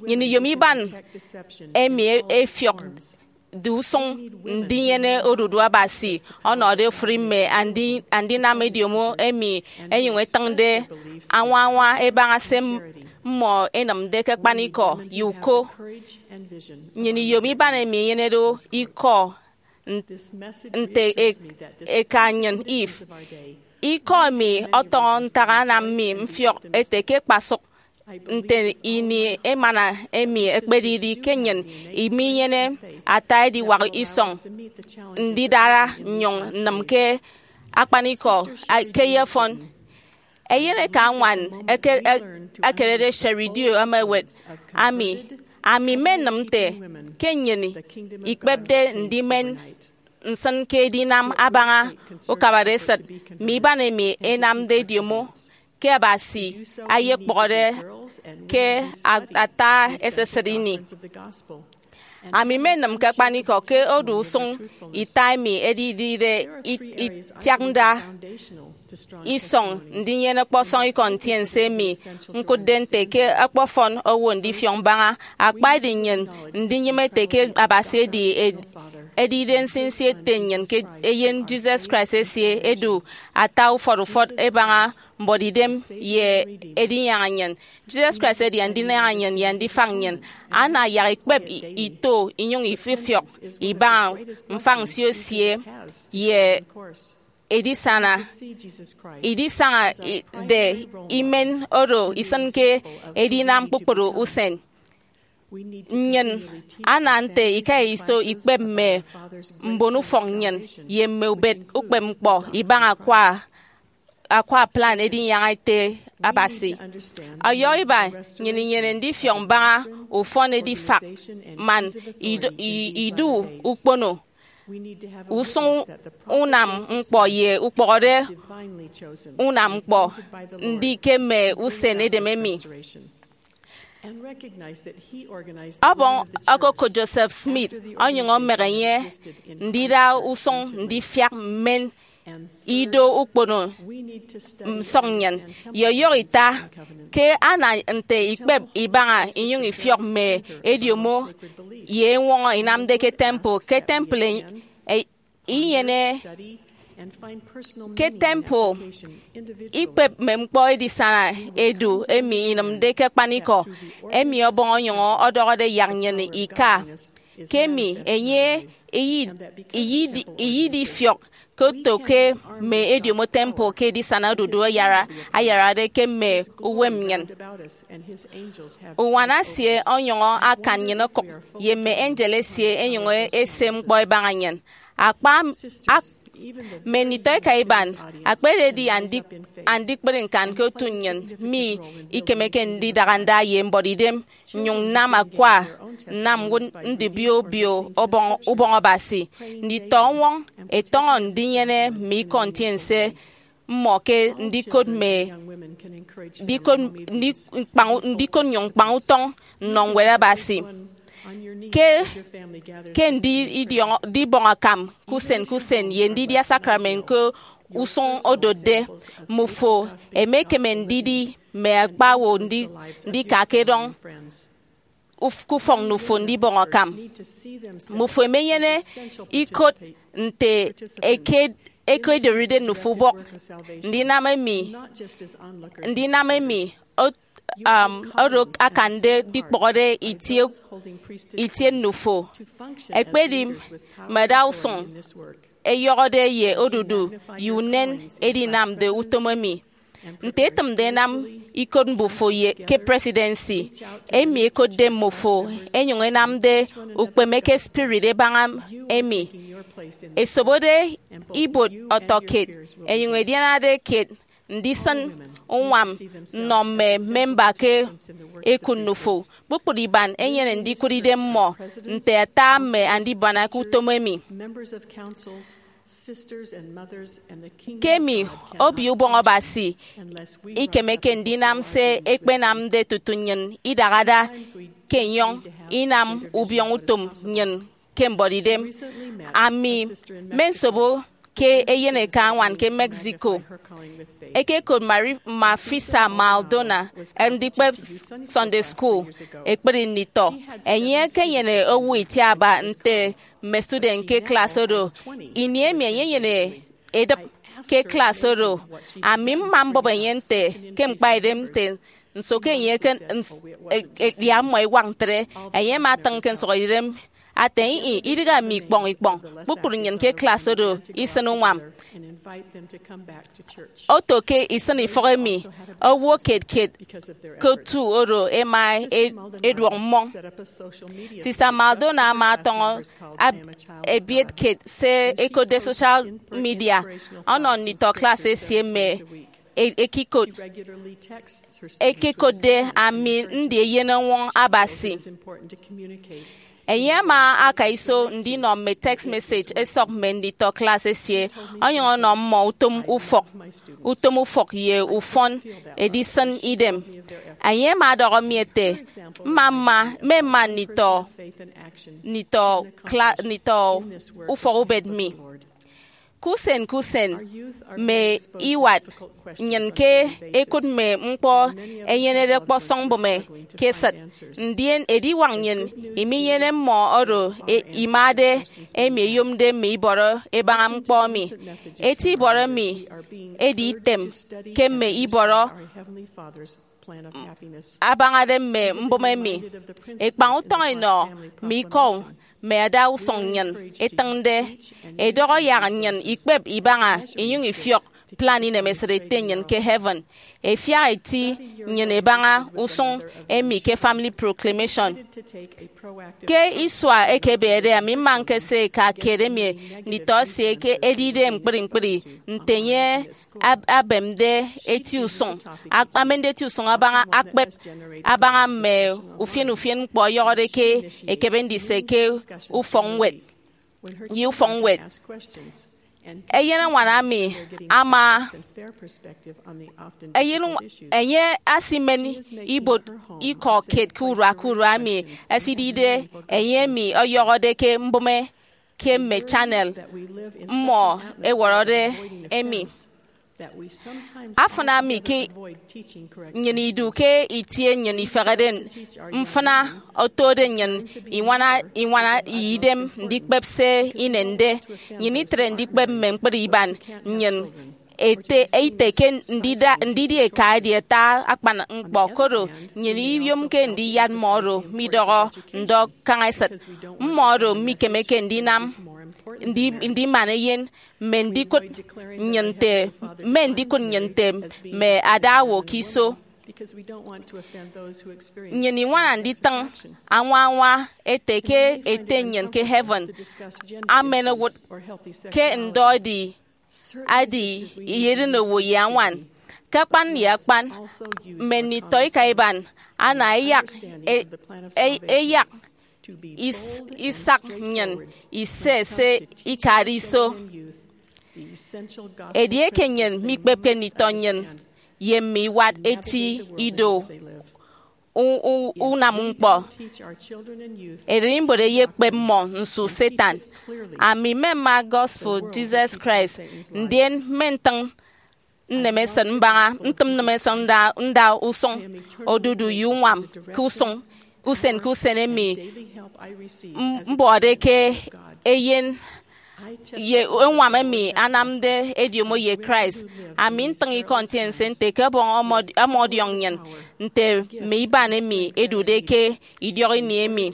Nnyịn iyom iban emi e-, efiọk de usụñ ndinyene odudu Abasi ọnọde ofụri mme andi-, andinam ediomo emi ẹnyụñ ẹtịñde añwa añwa ẹbaña se m-, mmọ ẹnịmde ke akpanikọ ye uko. Nnyịn iyom iban emi enyenede ikọ n-, nte e-, eka nnyịn Eve. Ikọ emi ọtọñọ ntak anam mi mfiọk ete ke kpasụk nte ini emana emi ekpedidi ke nnyịn iminyene ata ediwak isọñ ndidara nnyụñ nnịm ke akpanikọ a-, ke eyefọn. Eyeneka ñwan eke-, e-, ekerede Sherry Dew ama ewet, ami, ami mmenịm nte ke nnyịn ikpepde ndimen nsịn ke edinam abaña ukabara esịt mme iban emi ẹnamde ediomo ke Abasi ayekpọhọde ke a-, ata esisịt ini. Ami mmenịm ke akpanikọ ke odu usụñ ita emi edidide i-, itiaknda isọñ ndinyene ọkpọsọñ ikọ ntiense emi ñkụtde nte ke ọkpọfọn owo ndifiọk mbaña. Akpa edi nnyịn ndinyịme ete ke Abasi edi ed-, edide nsinsi Ete nnyịn ke eyen Jesus Christ esie edu ata ufọt ufọt ẹbaña mbuọtidem ye edinyaña nnyịn. Jesus Christ edi andinyaña nnyịn ye andifak nnyịn. Ana yak ikpep i-, ito inyụñ ififiọk ibaña mfañsio esie ye edisana, idisañade imen oro isịnke edinam kpukpru usen. Nnyịn ana nte ika iso ikpep mme mbonufọk nnyịn ye mme ubet ukpepñkpọ ibaña akwa, akwa plan edinyaña ete Abasi. Ọyọhọ iba, nnyịn inyene ndifiọk mbaña ufọn edifak man idu, i- idu ukpono usụñ unam ñkpọ ye ukpọhọde unam ñkpọ ndi ke mme usen edem emi. Ọbọñ okokot Joseph Smith onyụñ ọmọk enye ndida usụñ ndifiak mmen ido ukpono nsọk nnyịn, ye ọyọhọ ita ke ana nte ikpep ibaña inyụñ ifiọk mme ediomo ye eñwọñọ inamde ke temple. Ke temple inyene ke temple, ikpep mme ñkpọ edisana edu emi inịmde ke akpanikọ, emi ọbọñ onyụñ ọdọhọde yak nnyịn ika. Ke emi enye iyid- iyid- iyidifiọk ke oto ke mme ediomo temple ke edisana odudu ayara ayarade ke mme uwem nnyịn. Uñwana esie onyụñ akan nnyịn okụk, ye mme angel esie ẹnyụñ ẹse ñkpọ ẹbaña nnyịn. Akpa ak- mme nditọeka iban, akpa ededi andi- andikpri ñkan ke otu nnyịn, mi ikemeke ndidara nda ye mbuọtidem nnyụñ nnam akwa nnam ñwụt ndibio obio ubọñ, ubọñ Abasi. Nditọ-uñwọñ ẹtọñọ ndinyene mme ikọ ntiense mmọ ke ndikot mme ndikot, ndi- ñkpañ- ndikot nnyụñ ñkpañ utọñ nnọ Ñwed Abasi. Ke, ke ndi idiọñọ- ndibọñ akam ke usen ke usen ye ndidia sakrament ke usụñ odotde, mmufo emekeme ndidi mme akpawo ndi- ndika ke edọñ uf- ke ufọk nnufo ndibọñ akam. Mmufo emenyene ikot nte eke- ekedoride nnufo ubọk ndinam emi, ndinam emi ot- um, oro akande ndikpọhọde itie, itie nnufo. Ekpedi mme adausụñ ẹyọhọde ye odudu ye unen edinamde utom emi. Nte etịmde ẹnam ikot mbufo ye ke presidency, emi ekotde mmufo, ẹnyụñ ẹnamde ukpeme ke spirit ẹbaña emi, ẹsobode ibuot ọtọkiet, ẹnyụñ ẹdianade kiet ndisịn uñwam nnọ mme memba ke ekụt nnufo. Kpukpru iban ẹnyene ndikụt idem mmọ nte ata mme andibana ke utom emi. Ke emi, Obio Ubọñ Abasi ikemeke ndinam se ẹkpenamde tutu nnyịn idahada ke enyọñ inam ubiọñ utom nnyịn ke mbuọtidem. Ami mmensobo ke eyen eka añwan ke Mexico. Ẹkekot Mari- Mafisa Maldonado ndikpep Sunday School ekpri nditọ. Enye ekenyene owo itiaba nte mme student ke klas oro. Ini emi enye enyene edịp ke klas oro, ami mma mbọp enye nte ke ñkpaidem nte nso ke enye eke- ns- e- e- yak mmọ iwak ntre. Enye ama atịñ ke nsụhọidem ate, ih, idịghe ami ikpọñ ikpọñ. Kpukpru nnyịn ke klas oro isịn uñwam. Oto ke isịn ifọk emi, owo kiet kiet ke otu oro ẹma e- eduọk mmọñ. Sista Maldonado ama atọñọ ab- ebiet kiet se ẹkotde social media ọnọ nditọ klas esie mme e- ekikot. Ekekotde ami ndi eyen ọñwọñ Abasi. Enye ama aka iso ndinọ mme text message ẹsọk mme nditọ klas esie, onyụñ ọnọ mmọ utom ufọk, utom ufọk ye ufọn edisịn idem. Enye ama ọdọhọ mi ete, mma mma, mmema nditọ, nditọ, kla- nditọ ufọk ubet mi. Ke usen ke usen, mme iwat nnyịn ke ẹkụt mme ñkpọ ẹnyenede ọkpọsọñ mbụme ke esịt, ndien ediwak nnyịn iminyene mmọ oro e- imade, emi eyomde mme ibọrọ ẹbaña ñkpọ emi. Eti ibọrọ emi edi item ke mme ibọrọ abañade mme mbụme emi. Ẹkpañ utọñ ẹnọ mme ikọ mme adausụñ nnyịn ẹtịñde, ẹdọhọ yak nnyịn ikpep ibaña inyụñ ifiọk plan inemesịt Ete nnyịn ke heaven. Efiak eti nnyịn ebaña usụñ emi ke Family Proclamation. Ke isua ekebeede, ami mma ñkese eka kiet emi nditọ esie ke edide ñkpri ñkpri nte enye ab- abemde eti usụñ, ak- amende eti usụñ abaña akpep abaña mme ufien ufien ñkpọ ọyọhọde ke ekebe ndise ke ufọkñwed ye ufọkñwed. Eyenañwan ami ama eyen enye asimen ibuot ikọ kiet ke urua ke urua emi esidide enye emi ọyọhọde ke mbụme ke mme channel mmọ ẹwọrọde emi. Afịna mi ke nnyịn idu ke itie nnyịn ifehede mfịna otode nnyịn iñwana iñwana ye idem ndikpep se inende. Nnyịn itre ndikpep mme ñkpri iban nnyịn ete ite ke ndida- ndidi eka edi ata akpan ñkpọ, koro nnyịn iyomke ndiyat mmọ oro midọhọ ndọ kaña esịt. Mmọ oro mikemeke ndinam ndi- ndiman eyen mme ndikụt nnyịn nte mme ndikụt nnyịn nte mme ada owo ke iso. Nnyịn iñwana nditịñ añwa añwa ete ke Ete nnyịn ke heaven amen owụt ke ndọ edi adi iyedin owo ye añwan. Ke akpan ye akpan, mme nditọ ika iban ana eyak e- e- eyak is- isak nnyịn ise se ikade iso. Edieke nnyịn mikpepke nditọ nnyịn ye mme iwat eti ido u- u- unam ñkpọ, ererimbot eyekpep mmọ nsu Satan. Ami mmema gospel Jesus Christ, ndien mme ntịñ nnemesịt mbaña ntịm nnemesịt nda nda usụñ odudu ye uñwam ke usụñ usen ke usen emi m- mbọde ke eyen ye uñwam emi anamde ediomo ye Christ. Ami ntịñ ikọ ntiense nte ke Ọbọñ ọmọd- ọmọdiọñ nnyịn nte mme iban emi edude ke idiọk ini emi.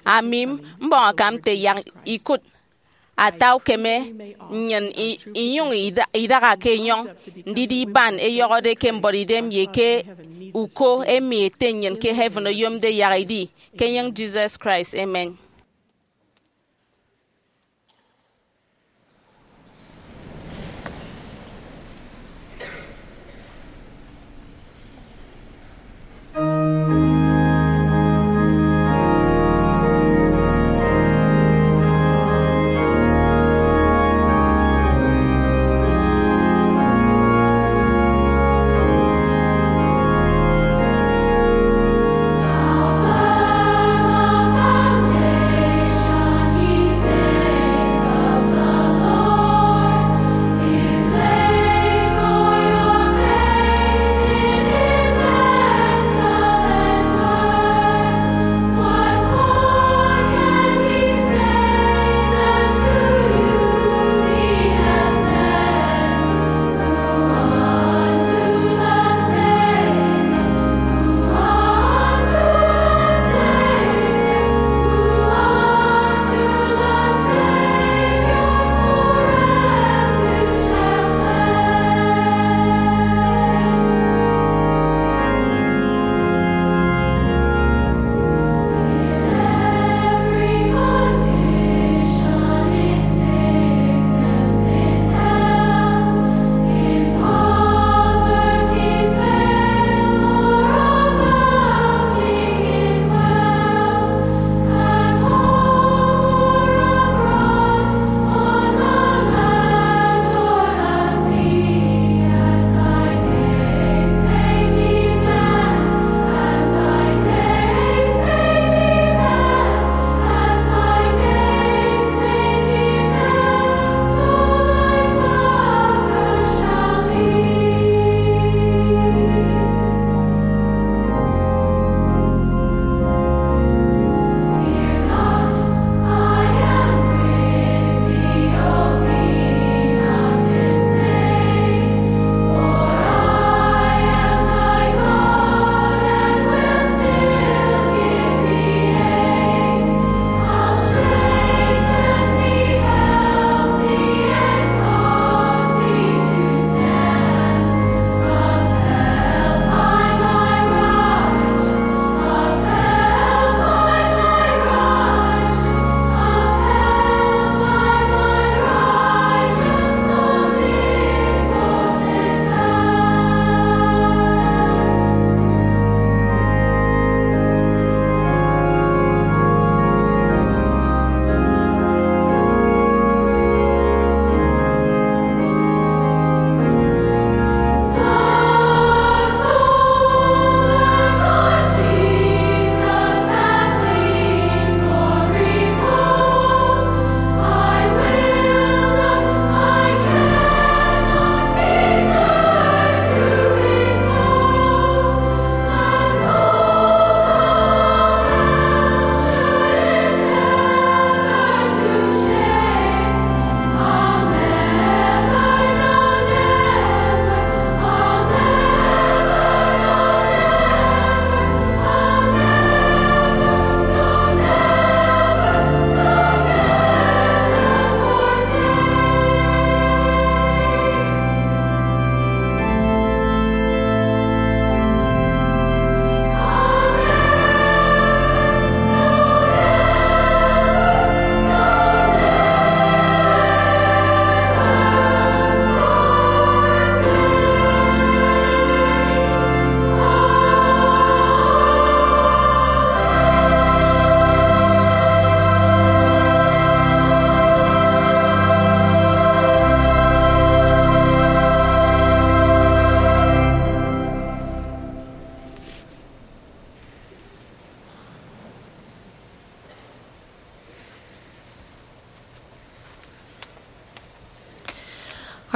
Ami mbọñ akam nte yak ikụt ata ukeme nnyịn i- inyụñ ida- idaha ke enyọñ ndidi iban eyọhọde ke mbuọtidem ye ke uko emi Ete nnyịn ke heaven oyomde yak idi. Ke enyịñ Jesus Christ, amen.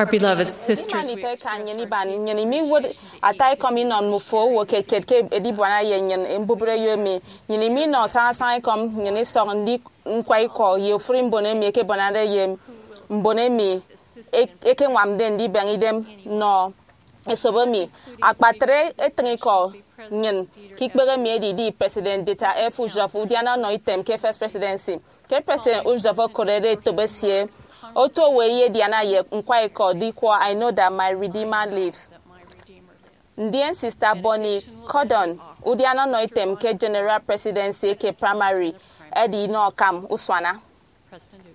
Our beloved sisters, we express our gratitude. Nnyịn iba nnyịn imiwụt ata ekọm inọ mmufo owo kiet kiet ke edibuana ye nnyịn mbubreyo emi. Nnyịn iminọ sañasaña ekọm nnyịn isọk ndi ñkwa ikọ ye ofụri mbon emi ẹkebọnade ye mbon emi e- ẹkeñwamde ndibeñe idem nnọ esop emi. Akpatre etịñikọ nnyịn ke ikpehe emi edidi President Dieter F. Uchtdorf, udiana ọnọ item ke First Presidency. Ke President Uchtdorf okorede etop esie, otu owo eyediana ye ñkwa ikọ Diquo, I Know That My Redeemer Lives. Ndien Sister Bonnie Cordon, udiana ọnọ item ke General Presidency eke Primary, edi inọ akam usuana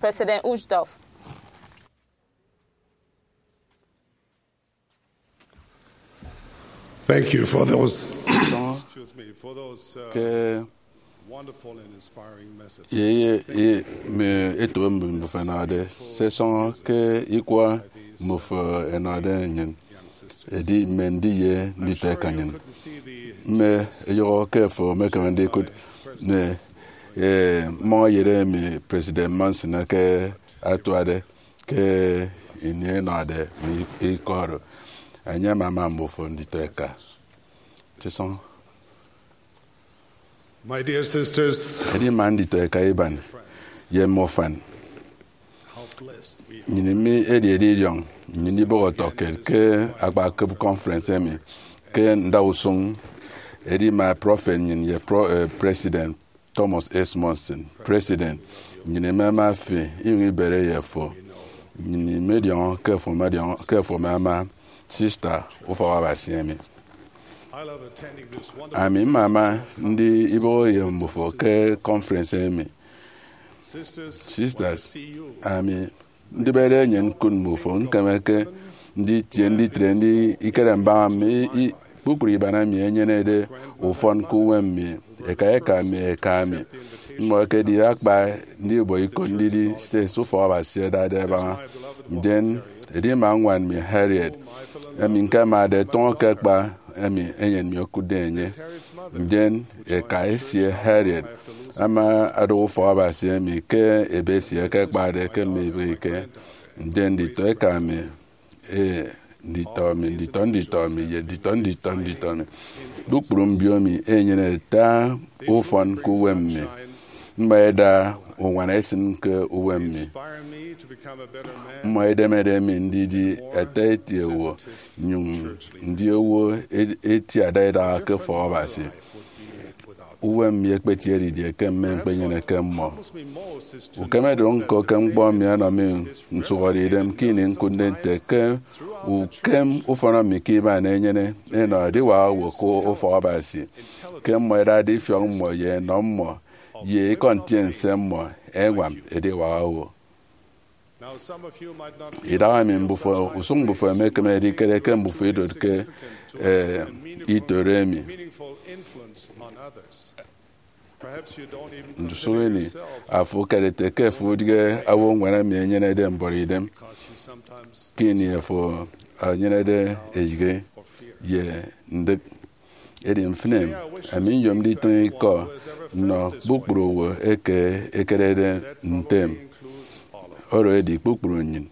President Uchtdorf. Thank you for those, excuse me, for those, uh, ke wonderful and inspiring messages. Ye, ye, ye, mme eto emi mmufo ẹnọde, sesọñọ ke ikwa mmufo ẹnọde nnyịn, edi mme ndiye nditọeka nnyịn. Mme eyọhọ ke fo emekeme ndikụt ne, eh, mmọñ eyet emi President Monson eke atuade ke ini enọde mi ikọ oro. Enye ama ama mbufo nditọeka. Tisọñ. My dear sisters, edi ma nditọeka iban ye mme ufan, how blessed we are. Nnyịn mi edi edidiọñ nnyịn ibọhọ ọtọkiet ke akpakịp conference emi ke ndausụñ. Edi ma prọfet nnyịn ye pro, eh, President Thomas S. Monson, President, nnyịn imama fi, inyụñ ibere ye fo. Nnyịn imediọñọ ke fo, mediọñọ ke fo ama ama sista ufọk Abasi emi. Ami mmama ndi ibọhọ ye mbufo ke conference emi. Sisters, ami ndibede enye ñkụt mmufo, ñkemeke nditie nditre ndi ikere mbaña mi, i, kpukpru iban emi enyenede ufọn ke uwem mi, eka eka mi, eka mi. Mmọ ẹkedide akpa ndibọ ikọ ndidi se esop Abasi ẹdade ẹbaña. Ndien edima ñwan mi Harriet, emi ñkemade tụñọ ke akpa emi eyen mi okụtde enye. Ndien eka esie Harriet ama adọhọ ufọk Abasi emi ke ebe esie ẹkekpade ke mme ibịghike. Ndien nditọeka mi, e, nditọ mi, nditọ nditọ mi, ye nditọ nditọ nditọ mi, kpukpru mbio mi enyene ata ufọn ke uwem mi. Mmọ ẹda uñwana ẹsịn ke uwem mi. Mmọ ẹdemede mi ndidi ata eti owo, nnyụñ ndi owo e- etiada idaha ke ufọk Abasi. Uwem mi ekpetiede didie ke mme ñkpenyeneke mmọ? Ukemedụk ñko ke ñkpọ emi ọnọ mi nsụhọde idem ke ini ñkụtde nte ke ukem ufọn mi ke iban enyene enọ ediwak owo ke ufọk Abasi, ke mmọ ẹdade ifiọk mmọ ye enọ mmọ ye ikọ ntiense mmọ ẹñwam ediwak owo. Idahaemi mbufo, usụñ mbufo emekeme edikere ke mbufo idotke, eh, itoro emi. Ndusụk ini, afo ukere ete ke afo udighe awo ñwan emi enyenede mbọrọidem, ke ini afo enyenede eyịghe ye ndịk. Edi mfịn emi, ami nyom nditịñ ikọ nnọ kpukpru owo eke ekerede ntem, oro edi kpukpru nnyịn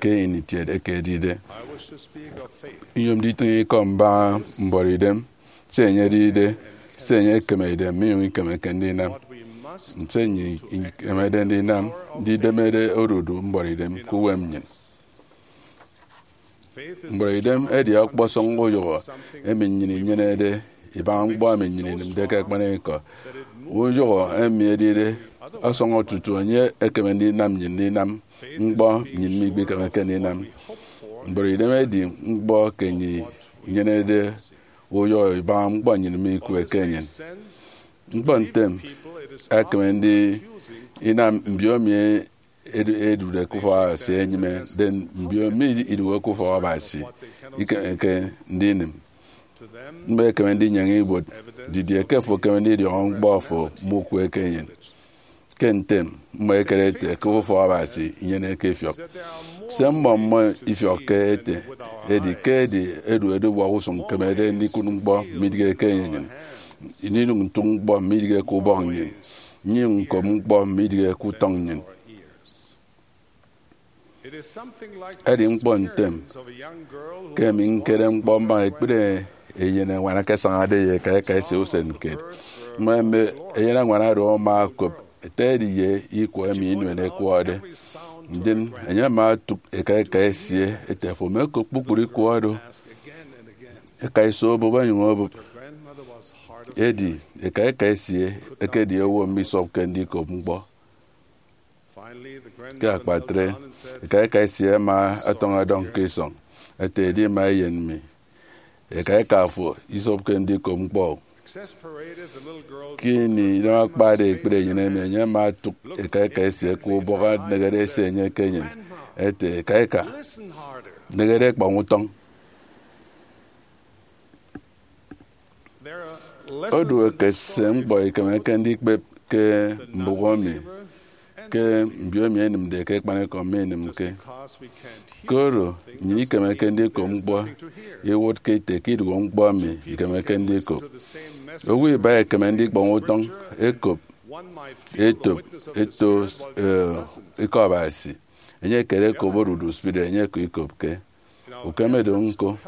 ke ini kiet eke edide. Nyom nditịñ ikọ mbaña mbọrọidem, se enye edide, se enye ekemede, minyụñ ikemeke ndinam, nte nnyịn ikemede ndinam ndidemede odudu mbọrọidem ke uwem nnyịn. Mbọrọidem edi ọkpọsọñ uyụhọ emi nnyịn inyenede ibaña ñkpọ emi nnyịn inịmde ke akpanikọ. Uyụhọ emi edide ọsọñọ tutu enye ekeme ndinam nnyịn ndinam ñkpọ nnyịn mikpekemeke ndinam. Mbọrọidem edi ñkpọ ke nnyịn inyenede uyụhọ ibaña ñkpọ nnyịn mikụt ke nnyịn. Ñkpọ ntem, ekeme ndi inam mbio emi edu- edude ke ufọk Abasi enyịme, then mbio emi iduhe ke ufọk Abasi ikemeke ndinịm. Mmọ ẹkeme ndinyaña ibuot didie ke afo ekeme ndidiọñọ ñkpọ afo mukwe ke enyịn. Ke ntem, mmọ ẹkere ete ke ufọk Abasi inyeneke ifiọk. Se mmọ mmọ ifiọkke ete edi ke edi edu ediwak usụñ ñkemede ndikụt ñkpọ midịghe ke enyịn, ndinyụñ ntụk ñkpọ midịghe ke ubọk nnyịn, nnyụñ ñkop ñkpọ midịghe ke utọñ nnyịn. Edi ñkpọ ntem ke emi ñkere ñkpọ mbaña ekpri eyeneñwan eke asañade ye eka eka esie usen kiet. Mmọ mme eyeneñwan oro ama okop ete edi ye ikwọ emi inuen ekwọde. Ndien enye ama otụk eka eka esie ete, "Afo ama okop kpukpru ikwọ oro?" Eka iso obụp, onyụñ obụp. Edi eka eka esie ekedi owo misọpke ndikop ñkpọ. Ke akpatre, eka eka esie ama ọtọñ ọdọñ ke isọñ ete, "Edi ima eyen mi. Eka eka afo isọpke ndikop ñkpọ." Ke ini idem akpade ekpri enyịn emi, enye ama otụk eka eka esie ke ubọk anegede esie enye ke enyịn ete, "Eka eka, negede ekpọñ utọñ." Odu ekese ñkpọ ikemeke ndikpep ke mbụk emi ke mbio emi ẹnịmde ke akpanikọ minịmke. Koro nnyịn ikemeke ndikop ñkpọ iwụtke ite ke idụhe ñkpọ emi ikemeke ndikop. Owo iba ekeme ndikpọñ utọñ ekop etop eto, eh, Ikọ Abasi. Enye ekere ekop odudu spirit, enye eke ikopke. Ukeme do ñko,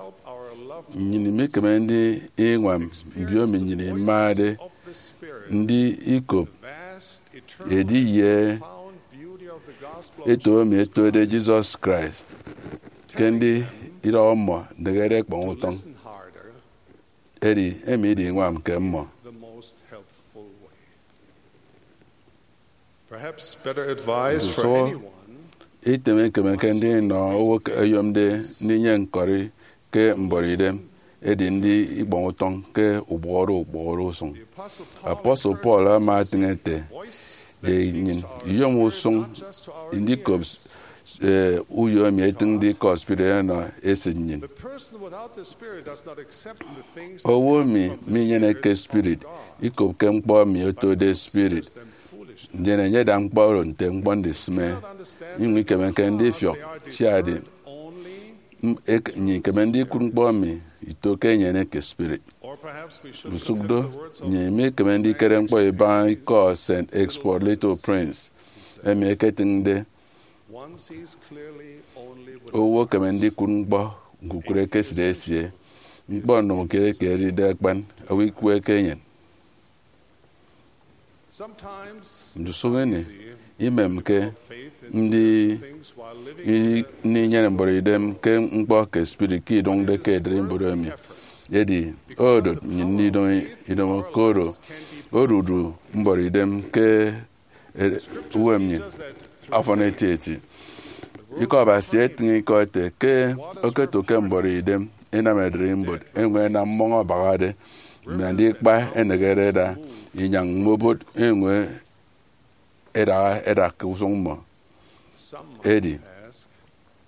nnyịn imekeme ndiñwam mbio emi nnyịn imade ndi ikop edi ye eto emi etode Jesus Christ ke ndi idọhọ mmọ ndịghere ekpọñ utọñ. Edi emi idiñwam ke mmọ. Perhaps better advice for Nso anyone item ekemeke ndinọ owo ke eyomde ndinyene ñkọri ke mbuọtidem edi ndi ikpọñ utọñ ke ubọhọde ukpọhọde usụñ. Apostle Paul ama etịñ ete, ye nnyịn iyom usụñ ndikop, eh, uyo emi etịñde ikọ spirit enọ esịt nnyịn. Owo emi minyeneke spirit ikopke ñkpọ emi otode spirit, ndien enye ada ñkpọ oro nte ñkpọ ndisịme, inyụñ ikemeke ndifiọk, sia edi m-, ek-, nnyịn ikeme ndikụt ñkpọ emi ito ke enyeneke spirit. Ndusụk do, nnyịn imekeme ndikere ñkpọ ibaña ikọ Saint Exupéry Little Prince, emi eketịñde, "Owo ekeme ndikụt ñkpọ ñkukụre ke esịt esie. Ñkpọ ndụñọkiet eke edide akpan, owo ikwe ke enyịn." Ndusụk ini, imemke ndi-, i-, ndinyene mbuọtidem ke ñkpọ ke spirit ke idụñde ke ererimbot emi. Edi odot nnyịn ndidomo idomo, koro odudu mbuọtidem ke e-, uwem nnyịn ọfọn etieti. Ikọ Abasi etịñ ikọ ete ke okoto ke mbuọtidem inam ererimbot eñwen ẹnam mmọñ abahade, mme andikpa ẹneñede ẹda inyañ mme obot eñwen ẹdaha ẹda ke usụñ mmọ. Edi,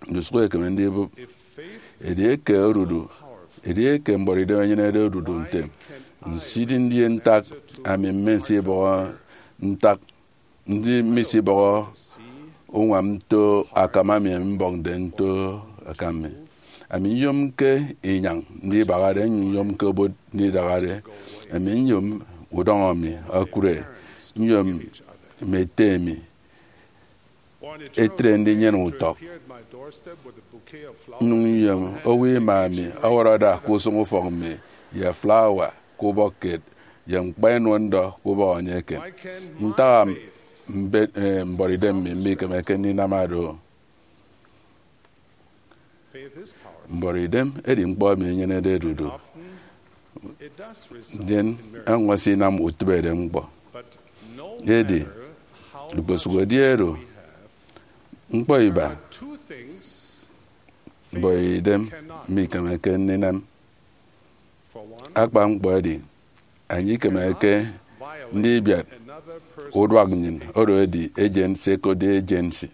ndusụk ẹkeme ndibụp, edieke odudu, edieke mbuọtidem enyenede odudu ntem, nsidi ndien ntak ami mmesibọhọ, ntak ndi mmesibọhọ uñwam nto akam ami mbọñde nto akam mi? Ami nyomke inyañ ndibahade, nyomke obot ndidahade. Ami nyom udọñọ mi okụre, nyom mme ete mi etre ndinyene utọk. Nnyụñ nyom owo ima mi ọwọrọ ada ke usụñ ufọk mi, ye flawa ke ubọk kiet, ye ñkpa inua ndọ ke ubọk enye eken. Ntak am mbe-, eh, mbuọtidem mi mikemeke ndinam do? Mbuọtidem edi ñkpọ emi enyenede odudu. Ndien ọñwọñọ esinam utịbeidem ñkpọ. Edi, ikposụkedi oro, ñkpọ iba mbuọtidem mikemeke ndinam. Akpan ñkpọ edi, enye ikemeke ndibiat uduak nnyịn, oro edi ejen, se ẹkotde agency.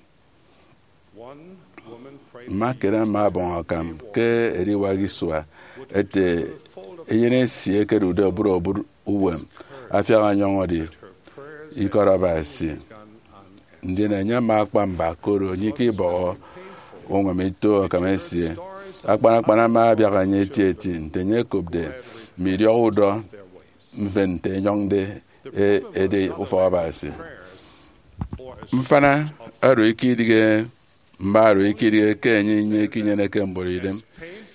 Mma kere ama ọbọñ akam ke ediwak isua ete eyen esie ekedude oburobụt uwem afiak ọnyọñọde ikọt Abasi. Ndien enye ama akpa mba, koro enye ikebọhọ uñwam ito akam esie. Akpan akpan ama abiak enye etieti nte enye okopde mme idiọk udọ mfịn nte enyọñde e-, ede ufọk Abasi. Mfana oro ikedịghe Mme oro ikidighe ke enye inyeneke mbọrọidem.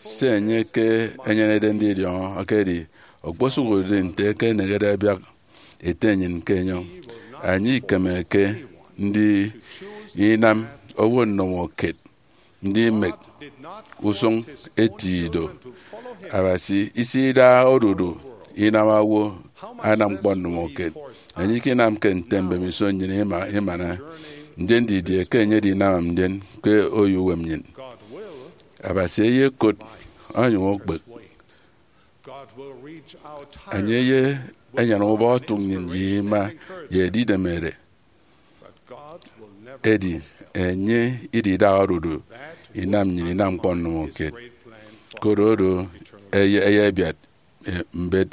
Se enye ke enyenede ndidiọñọ edi okposụkedi nte ke enehede abiak ete nnyịn ke enyọñ. Enye ikemeke ndi inam owo ndomokiet ndimek usụñ eti ido. Abasi isida odudu inam owo anam ñkpọ ndomokiet. Enye ikinamke nte mbemiso nnyịn ima- imana, ndien didie ke enye edinam ndien ke oyouwem nnyịn? Abasi eyekot onyụñ okpek. Enye ye enyan ubọk otụk nnyịn ye ima ye edidemere. Edi enye ididaha odudu inam nnyịn inam ñkpọ ndomokiet. Koro oro eye- eyebiat, eh, mbet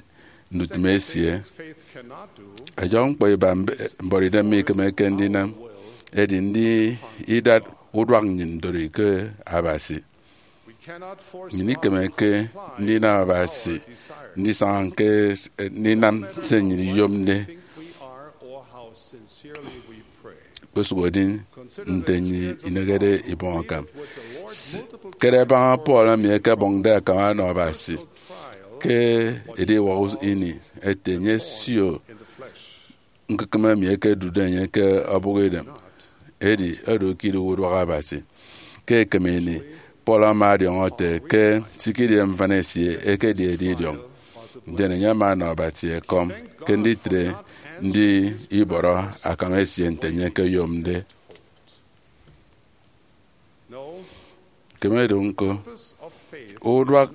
ndutịm esie. Ọyọhọ ñkpọ iba mbe- mbọrọidem mikemeke ndinam edi ndi idat uduak nnyịn ndori ke Abasi. Nnyịn ikemeke ndinam Abasi ndisaña ke s- ndinam se nnyịn iyomde. Kpesụk edi nte nnyịn inehede ibọñ akam. S- Kere baña Paul emi ekebọñde akam ọnọ Abasi ke ediwak us- ini, ete, enye sio ñkukụm emi ekedude enye ke ọbụk idem. Edi oro ke idighe uduak Abasi. Ke ekem ini, Paul ama ọdiọñọ ete ke sikidi mfana esie ekedi edidiọñ, ndien enye ama ọnọ Abasi ekọm ke nditre ndi ibọrọ akam esie nte enye ekeyomde. Kemede ñko, uduak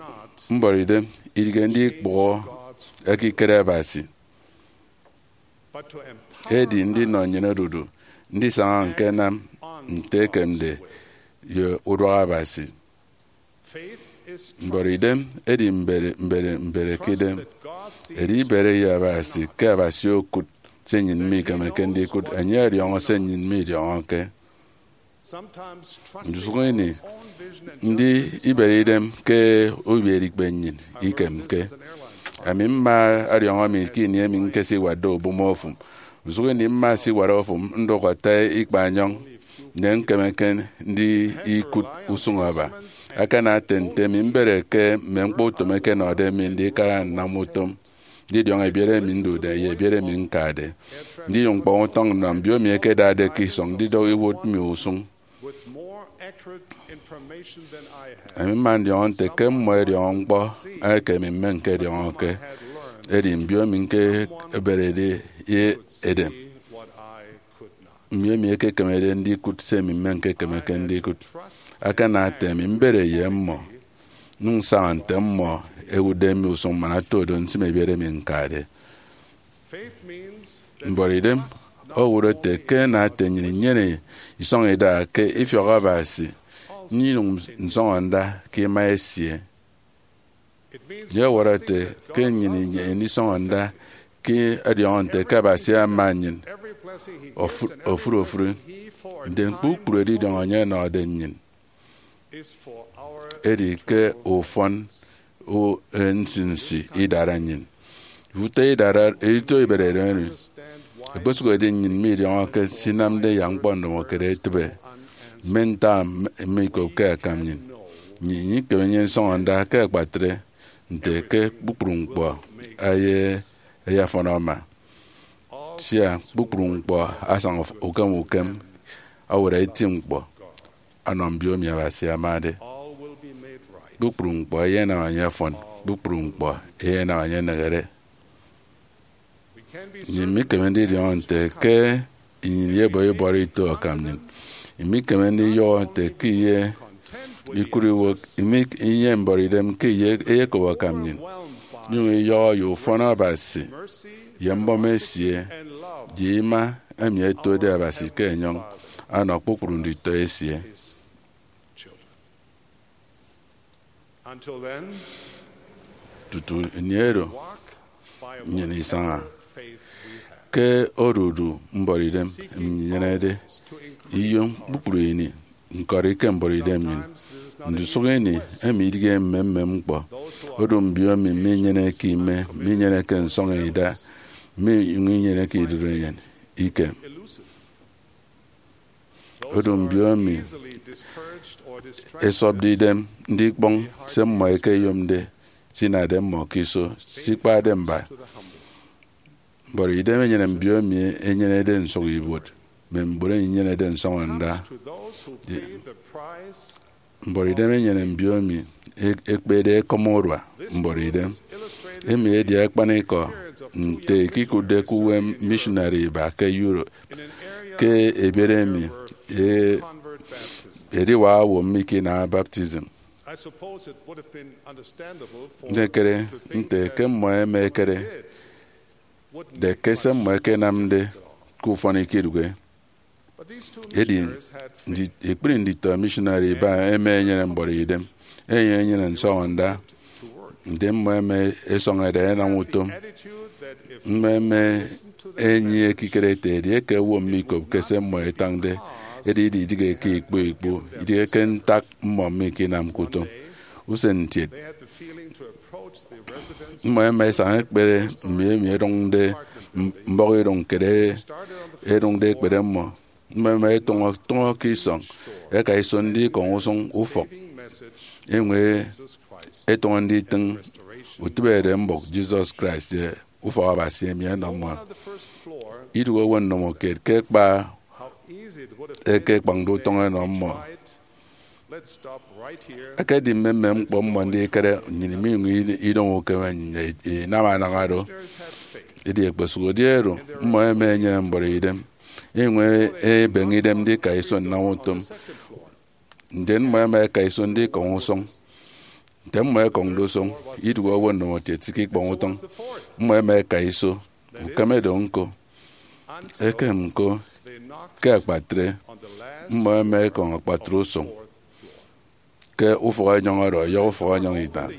mbọrọidem idighe ndikpụhọ ekikere Abasi, edi ndinọ nnyịn odudu ndisaña ñkenam nte ekemde ye uduak Abasi. Mbọrọidem edi mbere mbere mbere ke idem. Edi ibere ye Abasi ke Abasi okụt se nnyịn mikemeke ndikụt, enye ọdiọñọ se nnyịn midiọñọke. Ndusụk ini, ndi ibere idem ke ubierikpe nnyịn ikemke. Ami mma ọdiọñọ mi ke ini emi ñkesiwatde ubom ofụm. Ndusụk ini mma siwat ofụm ndụk ata ikpaenyọñ, ndien ñkemeke ndi ikụt usụñ aba. Akana ete nte mi mbere ke mme ñkpọ utom ẹkenọde mi ndikara nnam utom ndidiọñọ ebiere emi ndude ye ebiere emi ñkade, ndiyom ñkpọñ utọñ nnọ mbio emi ẹkedade ke isọñ ndidọhọ iwụt mi usụñ. Ami mma ndiọñọ nte ke mmọ ẹdiọñọ ñkpọ eke mi mmenke ẹdiọñọke, edi mbio emi ñkeberede ye edem, mbio emi ẹkekemede ndikụt se mi mmenke-kemeke ndikụt. Akana ete mi mbere ye mmọ, nyụñ nsaña nte mmọ ẹwụtde mi usụñ man oto do nsịm ebiere emi ñkade. Mbọrọidem owụt ete ke ana ete nnyịn inyene isọñ ida ke ifiọk Abasi, nnyụñ nsọñọ nda ke ima esie. Enye ọwọrọ ete ke nnyịn inyene isọñọ nda ke ẹdiọñọ nte ke Abasi ama nnyịn ofụri ofụri, ndien kpukpru edidiọñ enye ọnọde nnyịn edi ke ufọn nsinsi idara nnyịn. Utọ idara, utọ iberede emi, ekpesụk edi nnyịn midiọñọke se inamde yak ñkpọ ndomokiet etịbe, mme ntak mme ikopke akam nnyịn. Nnyịn ikeme nnyịn nsọñọ nda ke akpatre nte ke kpukpru ñkpọ eye eyafọn ama, sia kpukpru ñkpọ asaña ukem ukem, awụt eti ñkpọ ọnọ mbio emi Abasi amade. Kpukpru ñkpọ eyenam enye afọn, kpukpru ñkpọ eyenam enye enehede. Nnyịn mikeme ndidiọñọ nte ke nnyịn iyebọ ibọrọ ito akam nnyịn. Imikeme ndiyọhọ nte ke iye ikụt iwụk, imi inyene mbọrọidem ke iye eyekop akam nnyịn, inyụñ iyọhọ ye ufọn Abasi ye mbọm esie ye ima emi ẹtode Abasi ke enyọñ ọnọ kpukpru nditọ esie. Tutu ini oro, nnyịn isaña ke odudu mbọrọidem emi nyenede iyom kpukpru ini ñkọri ke mbọrọidem nnyịn. Ndusụk ini, emi idighe mmemmem ñkpọ. Odu mbio emi minyeneke ime, minyeneke nsọñọ ida, minyụñ inyeneke idorenyin ikem. Odu mbio emi esọpde idem ndikpọñ se mmọ ẹkeyomde, sinade mmọ ke iso, sikpade mba. Mbuọtidem enyene mbio emi enyenede nsụk ibuot, mme mbon emi enyenede nsọñọnda. Mbuọtidem enyene mbio emi e- ekpede ekọm urua mbuọtidem. Emi edi akpanikọ nte ikikụtde ke uwem missionary iba ke Europe, ke ebiet emi e- ediwak owo mme ke inam baptism. Ndikere nte ke mmọ ẹma ẹkere de ke se mmọ ẹkenamde ke ufọn ikidụhe. Edi ndi- ekpri nditọ missionary iba ẹma ẹnyene mbuọtidem, ẹnyụñ ẹnyene nsọñọnda. Ndien mmọ ẹma ẹsọñ ẹda ẹnam utom. Mmọ ẹma ẹnyie ekikere ete edieke owo mikopke se mmọ ẹtañde, edi ididịghe ke ikpọ ikpu, idịghe ke ntak mmọ mikinamke utom. Usen ntiet, mmọ ẹma ẹsaña ẹkpere mme emi ẹdụñde mbọhọidụñ kiet ẹdụñde ekpere mmọ. Mmọ ẹma ẹtọñọ tọñọ ke isọñ, ẹka iso ndikọñ usụñ ufọk. Enyụñ ẹtọñọ nditịñ utịbede mbụk Jesus Christ ye ufọk Abasi emi ẹnọ mmọ. Idụhe owo nnọmọ kiet ke kpa ẹkekpañde utọñ ẹnọ mmọ. Ekedi mmemmem ñkpọ mmọ ndikere, nnyịn minyụñ idọñ ukem nnyịn inam anaña do. Edi ẹkpesụhode oro, mmọ ẹma ẹnyene mbuọtidem, ẹnyụñ ẹbeñe idem ndika iso nnam utom. Ndien mmọ ẹma ẹka iso ndikọñ usụñ. Nte mmọ ẹkọñde usụñ, idụhe owo nnọmọkiet sikikpọñ utọñ. Mmọ ẹma ẹka iso, ukeme do ñko. Ekem ñko, ke akpatre, mmọ ẹma ẹkọñ akpatre usụñ ke ufọk enyọñ oro ọyọhọ ufọk enyọñ idañ.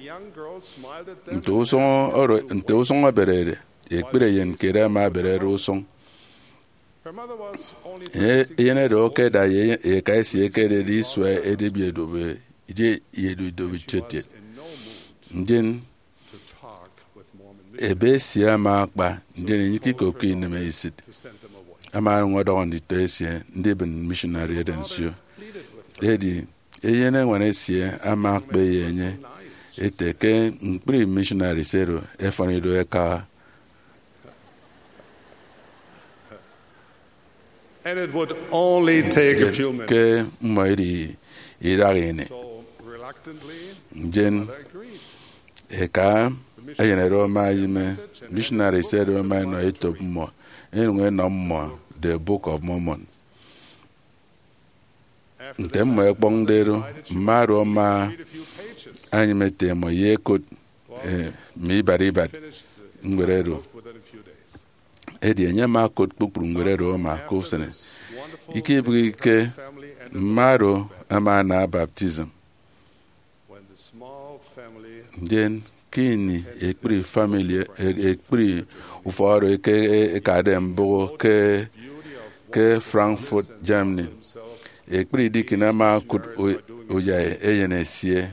Nte usụñ oro, nte usụñ eberede, ekpri eyen kiet ama eberede usụñ. Enye eyenede owo ke ẹda ye eka esie eke ededi isua edibiedobe, edi eyedu idobo etietiet. Ndien ebe esie ama akpa, ndien enye ikikopke inemesit. Ama onyụñ ọdọhọ nditọ esie ndibịn missionary oro nsio. Edi eyeneñwan esie ama akpe ye enye ete ke ñkpri missionaries oro ẹfọn ido ẹkaha. And it would only take a few minutes. Ke mmọ edi idaha ini. So reluctantly, ndien eka eyen oro ama enyịme, missionaries oro ama ẹnọ etop mmọ, ẹnyụñ ẹnọ mmọ The Book of Mormon. Nte mmọ ẹkpọñde do, mma oro ama enyịme ete mmọ ye ẹkot, eh, mme ibat ibat ñwed oro. Edi enye ama okot kpukpru ñwed oro ama ke usen. Ikebịghike, mma oro ama ana baptism. Ndien ke ini ekpri family, e- ekpri ufọk oro eke- e- ekade mbụk ke, ke Frankfurt, Germany, ekpri deacon ama okụt u- uyai eyen esie,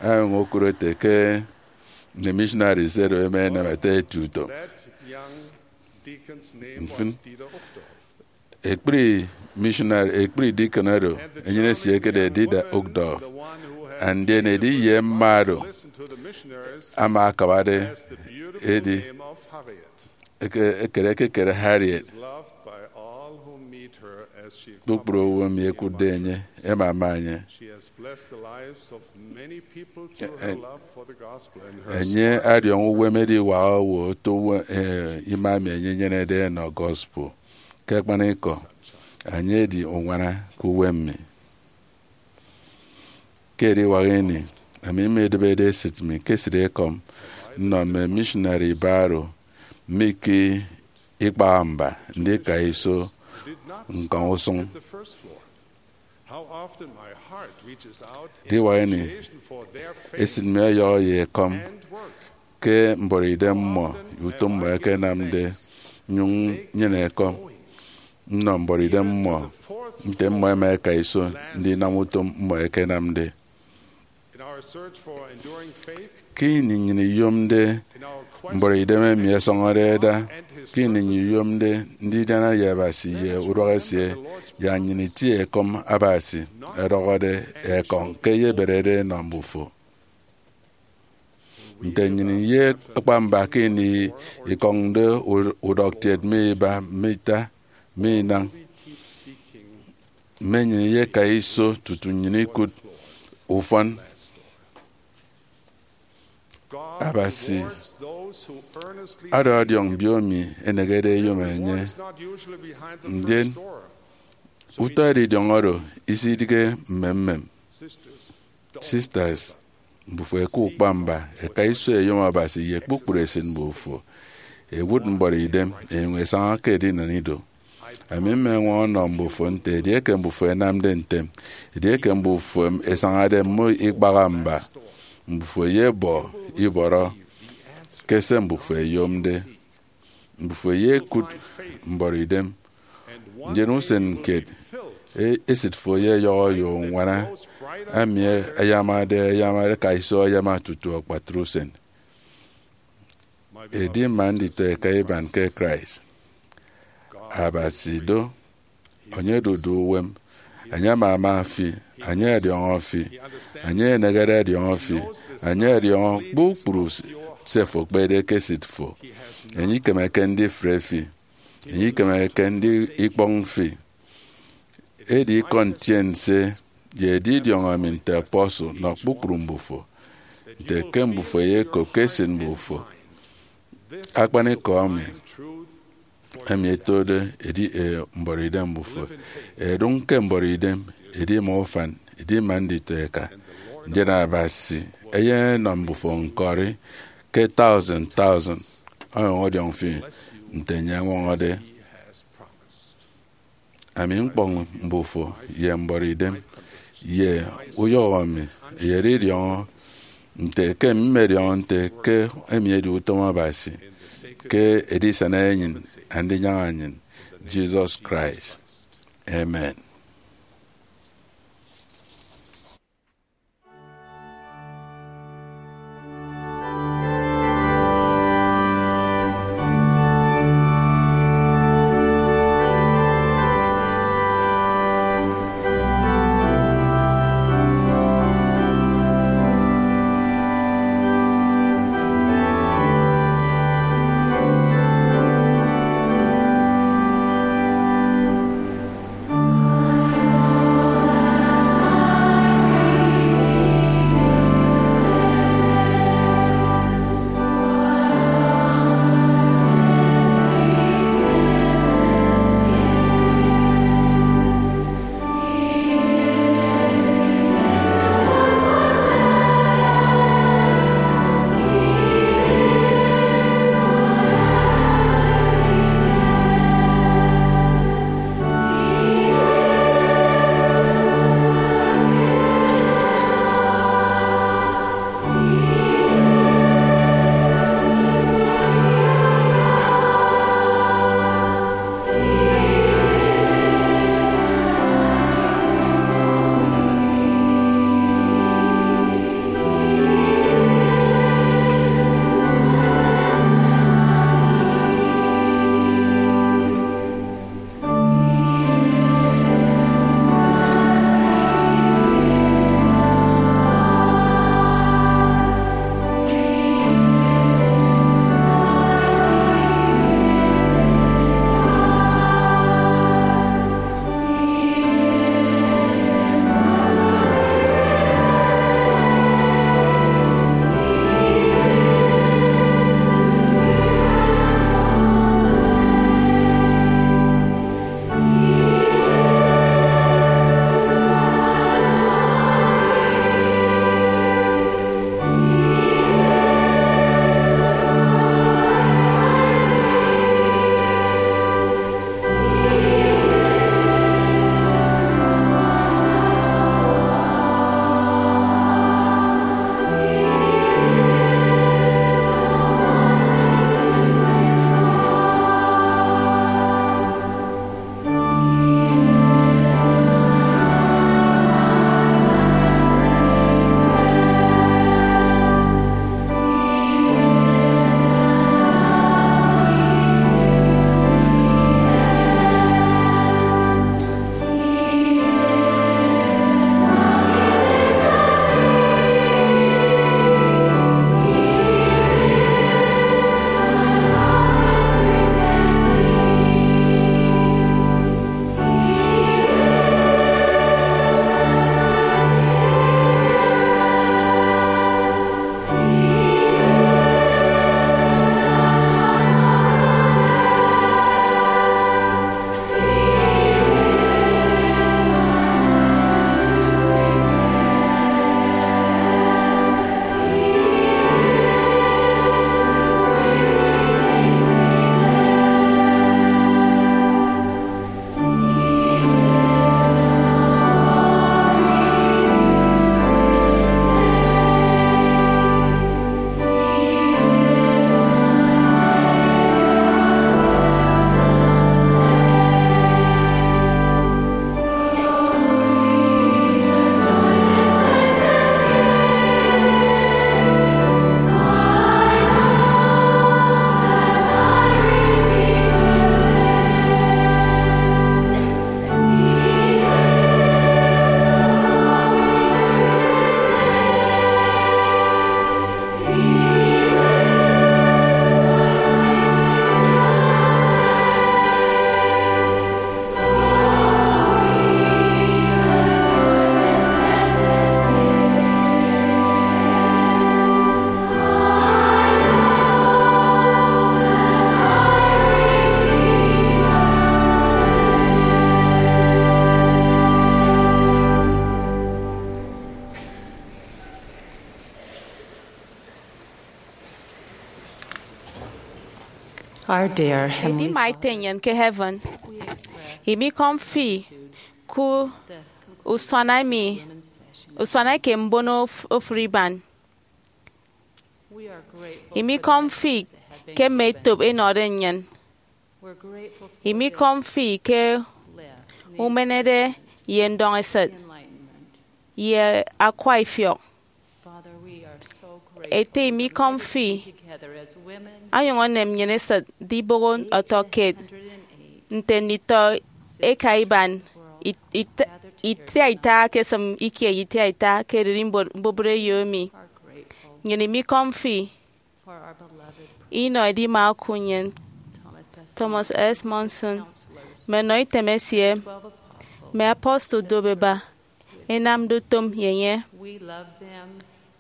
ama okụt ete ke mme missionaries oro ẹma ẹnam ata eti utom. Mfịn, ekpri missionary, ekpri deacon oro, eyen esie ekede Dieter Uchtdorf. And ndien edi ye mma oro ama akabade edi eke- ekere ekekere Harriet. Kpukpru owo emi ẹkụtde enye ẹma ẹma enye. Enye adiọñọ uwem ediwak owo oto uwem, eh, ima emi enye enyenede ẹnọ gospel. Ke akpanikọ, enye edi uñwana ke uwem mi. Ke ediwak ini, ami midịbede esịt mi ke esịtekọm nnọ mme missionary iba oro mi ke ikpaha mba ndika iso ñkọñ usụñ. Ediwak ini, esịt mi ọyọhọ ye ekọm ke mbuọtidem mmọ, utom mmọ ẹkenamde, nnyụñ nnyene ekọm nnọ mbuọtidem mmọ nte mmọ ẹma ẹka iso ndinam utom mmọ ẹkenamde. Ke ini nnyịn iyomde mbọrọidem emi ẹsọñọde ẹda, ke ini nnyịn iyomde ndidiana ye Abasi ye urọk esie, yak nnyịn itie ekọm Abasi ẹdọhọde ekọñ ke eyeberede enọ mbufo. Nte nnyịn ye akpa mba ke ini ikọñde u-, udọktiet mme iba, mme ita, mme inañ, mme nnyịn iyeka iso tutu nnyịn ikụt ufọn. Abasi ada ọdiọñ mbiomi enehede eyom enye. Ndien utọ edidiọñ oro isidịghe mmemmem. Sisters, mbufo ẹka ukpa mba, ẹka iso ẹyom Abasi ye kpukpru esịt mbufo. Ẹwụt mbọrọidem ẹnyụñ ẹsaña ke edinen ido. Ami mmeñwọñọ nnọ mbufo nte edieke mbufo ẹnamde ntem, edieke mbufo ẹsañade mme ikpaha mba, mbufo eyebọ ibọrọ ke se mbufo ẹyomde. Mbufo eyekụt mbọrọidem, ndien usen kiet e-, esịt fo eyeyọhọ ye uñwana, ami ayamade ayama, ẹka iso ayama tutu akpatre usen. Edi mma nditọeka iban ke Christ, Abasi do, enye odudu uwem, enye amama fi, enye ọdiọñọ fi, enye enehede ọdiọñọ fi, enye ọdiọñọ kpukpru se fo ekpede ke esịt fo. Enye ikemeke ndifre fi, enye ikemeke ndikpọñ fi. Edi ikọ ntiense ye edidiọñ emi nte apostle nnọ kpukpru mbufo, nte ke mbufo eyekop ke esịt mbufo akpanikọ emi, emi etode edi, e, mbọrọidem mbufo. Ẹdụñ ke mbọrọidem, ẹdi ima ufan, ẹdi ima nditọeka. Ndien Abasi eyenọ mbufo ñkọri ke thousand thousand, ọnyụñ ọdiọñ fi nte enye ọñwọñọde. Ami ñkpọñ mbufo ye mbọrọidem ye uyọhọ mi, eyedidiọñọ nte ke mmediọñọ nte ke emi edi utom Abasi, ke edisana enyịn, Andinyaña nnyịn, Jesus Christ. Amen. Our dear Heavenly Edima Ete nnyịn ke heaven, imikọm fi ku usuana emi, usuana eke mbono of- ofụri iban. Imikọm fi ke mme etop enọde nnyịn. Imikọm fi ke umenede ye ndọñesịt ye akwa ifiọk. Ete, imikọm fi, ọnyụñ enem nnyịn esịt ndiboho ọtọkiet nte nditọ eka iban it- it- itiaita ke esịm ikie itiaita ke ererimbot mbubreyo emi. Nnyịn imikọm fi inọ edima oku nnyịn, Thomas S. Monson, mme nnọ item esie, mme apostle duop eba, enamde utom ye enye.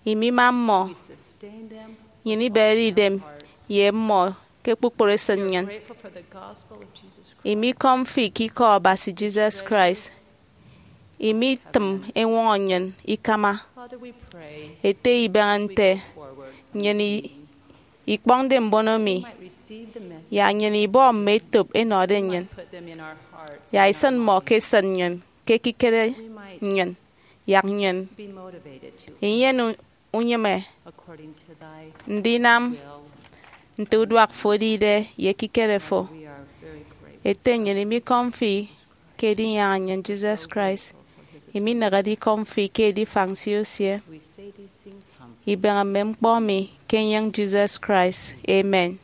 Imima mmọ, nnyịn iberede idem ye mmọ ke kpukpru esịt nnyịn. Imikọm fi ke ikọ Abasi Jesus Christ. Imitịm eñwọñọ nnyịn ikama. Ete, ibeñe nte nnyịn i- ikpọñde mbono mi, yak nnyịn ibọ mme etop enọde nnyịn, yak isịn mmọ ke esịt nnyịn, ke ekikere nnyịn, yak nnyịn inyene u- unyịme ndinam nte uduak fo edide ye ekikere fo. Ete, nnyịn imikọm fi ke edinyaña nnyịn Jesus Christ, iminehede ikọm fi ke edifañ nsio esie. Ibeñe mme ñkpọ mi ke enyịñ Jesus Christ. Amen.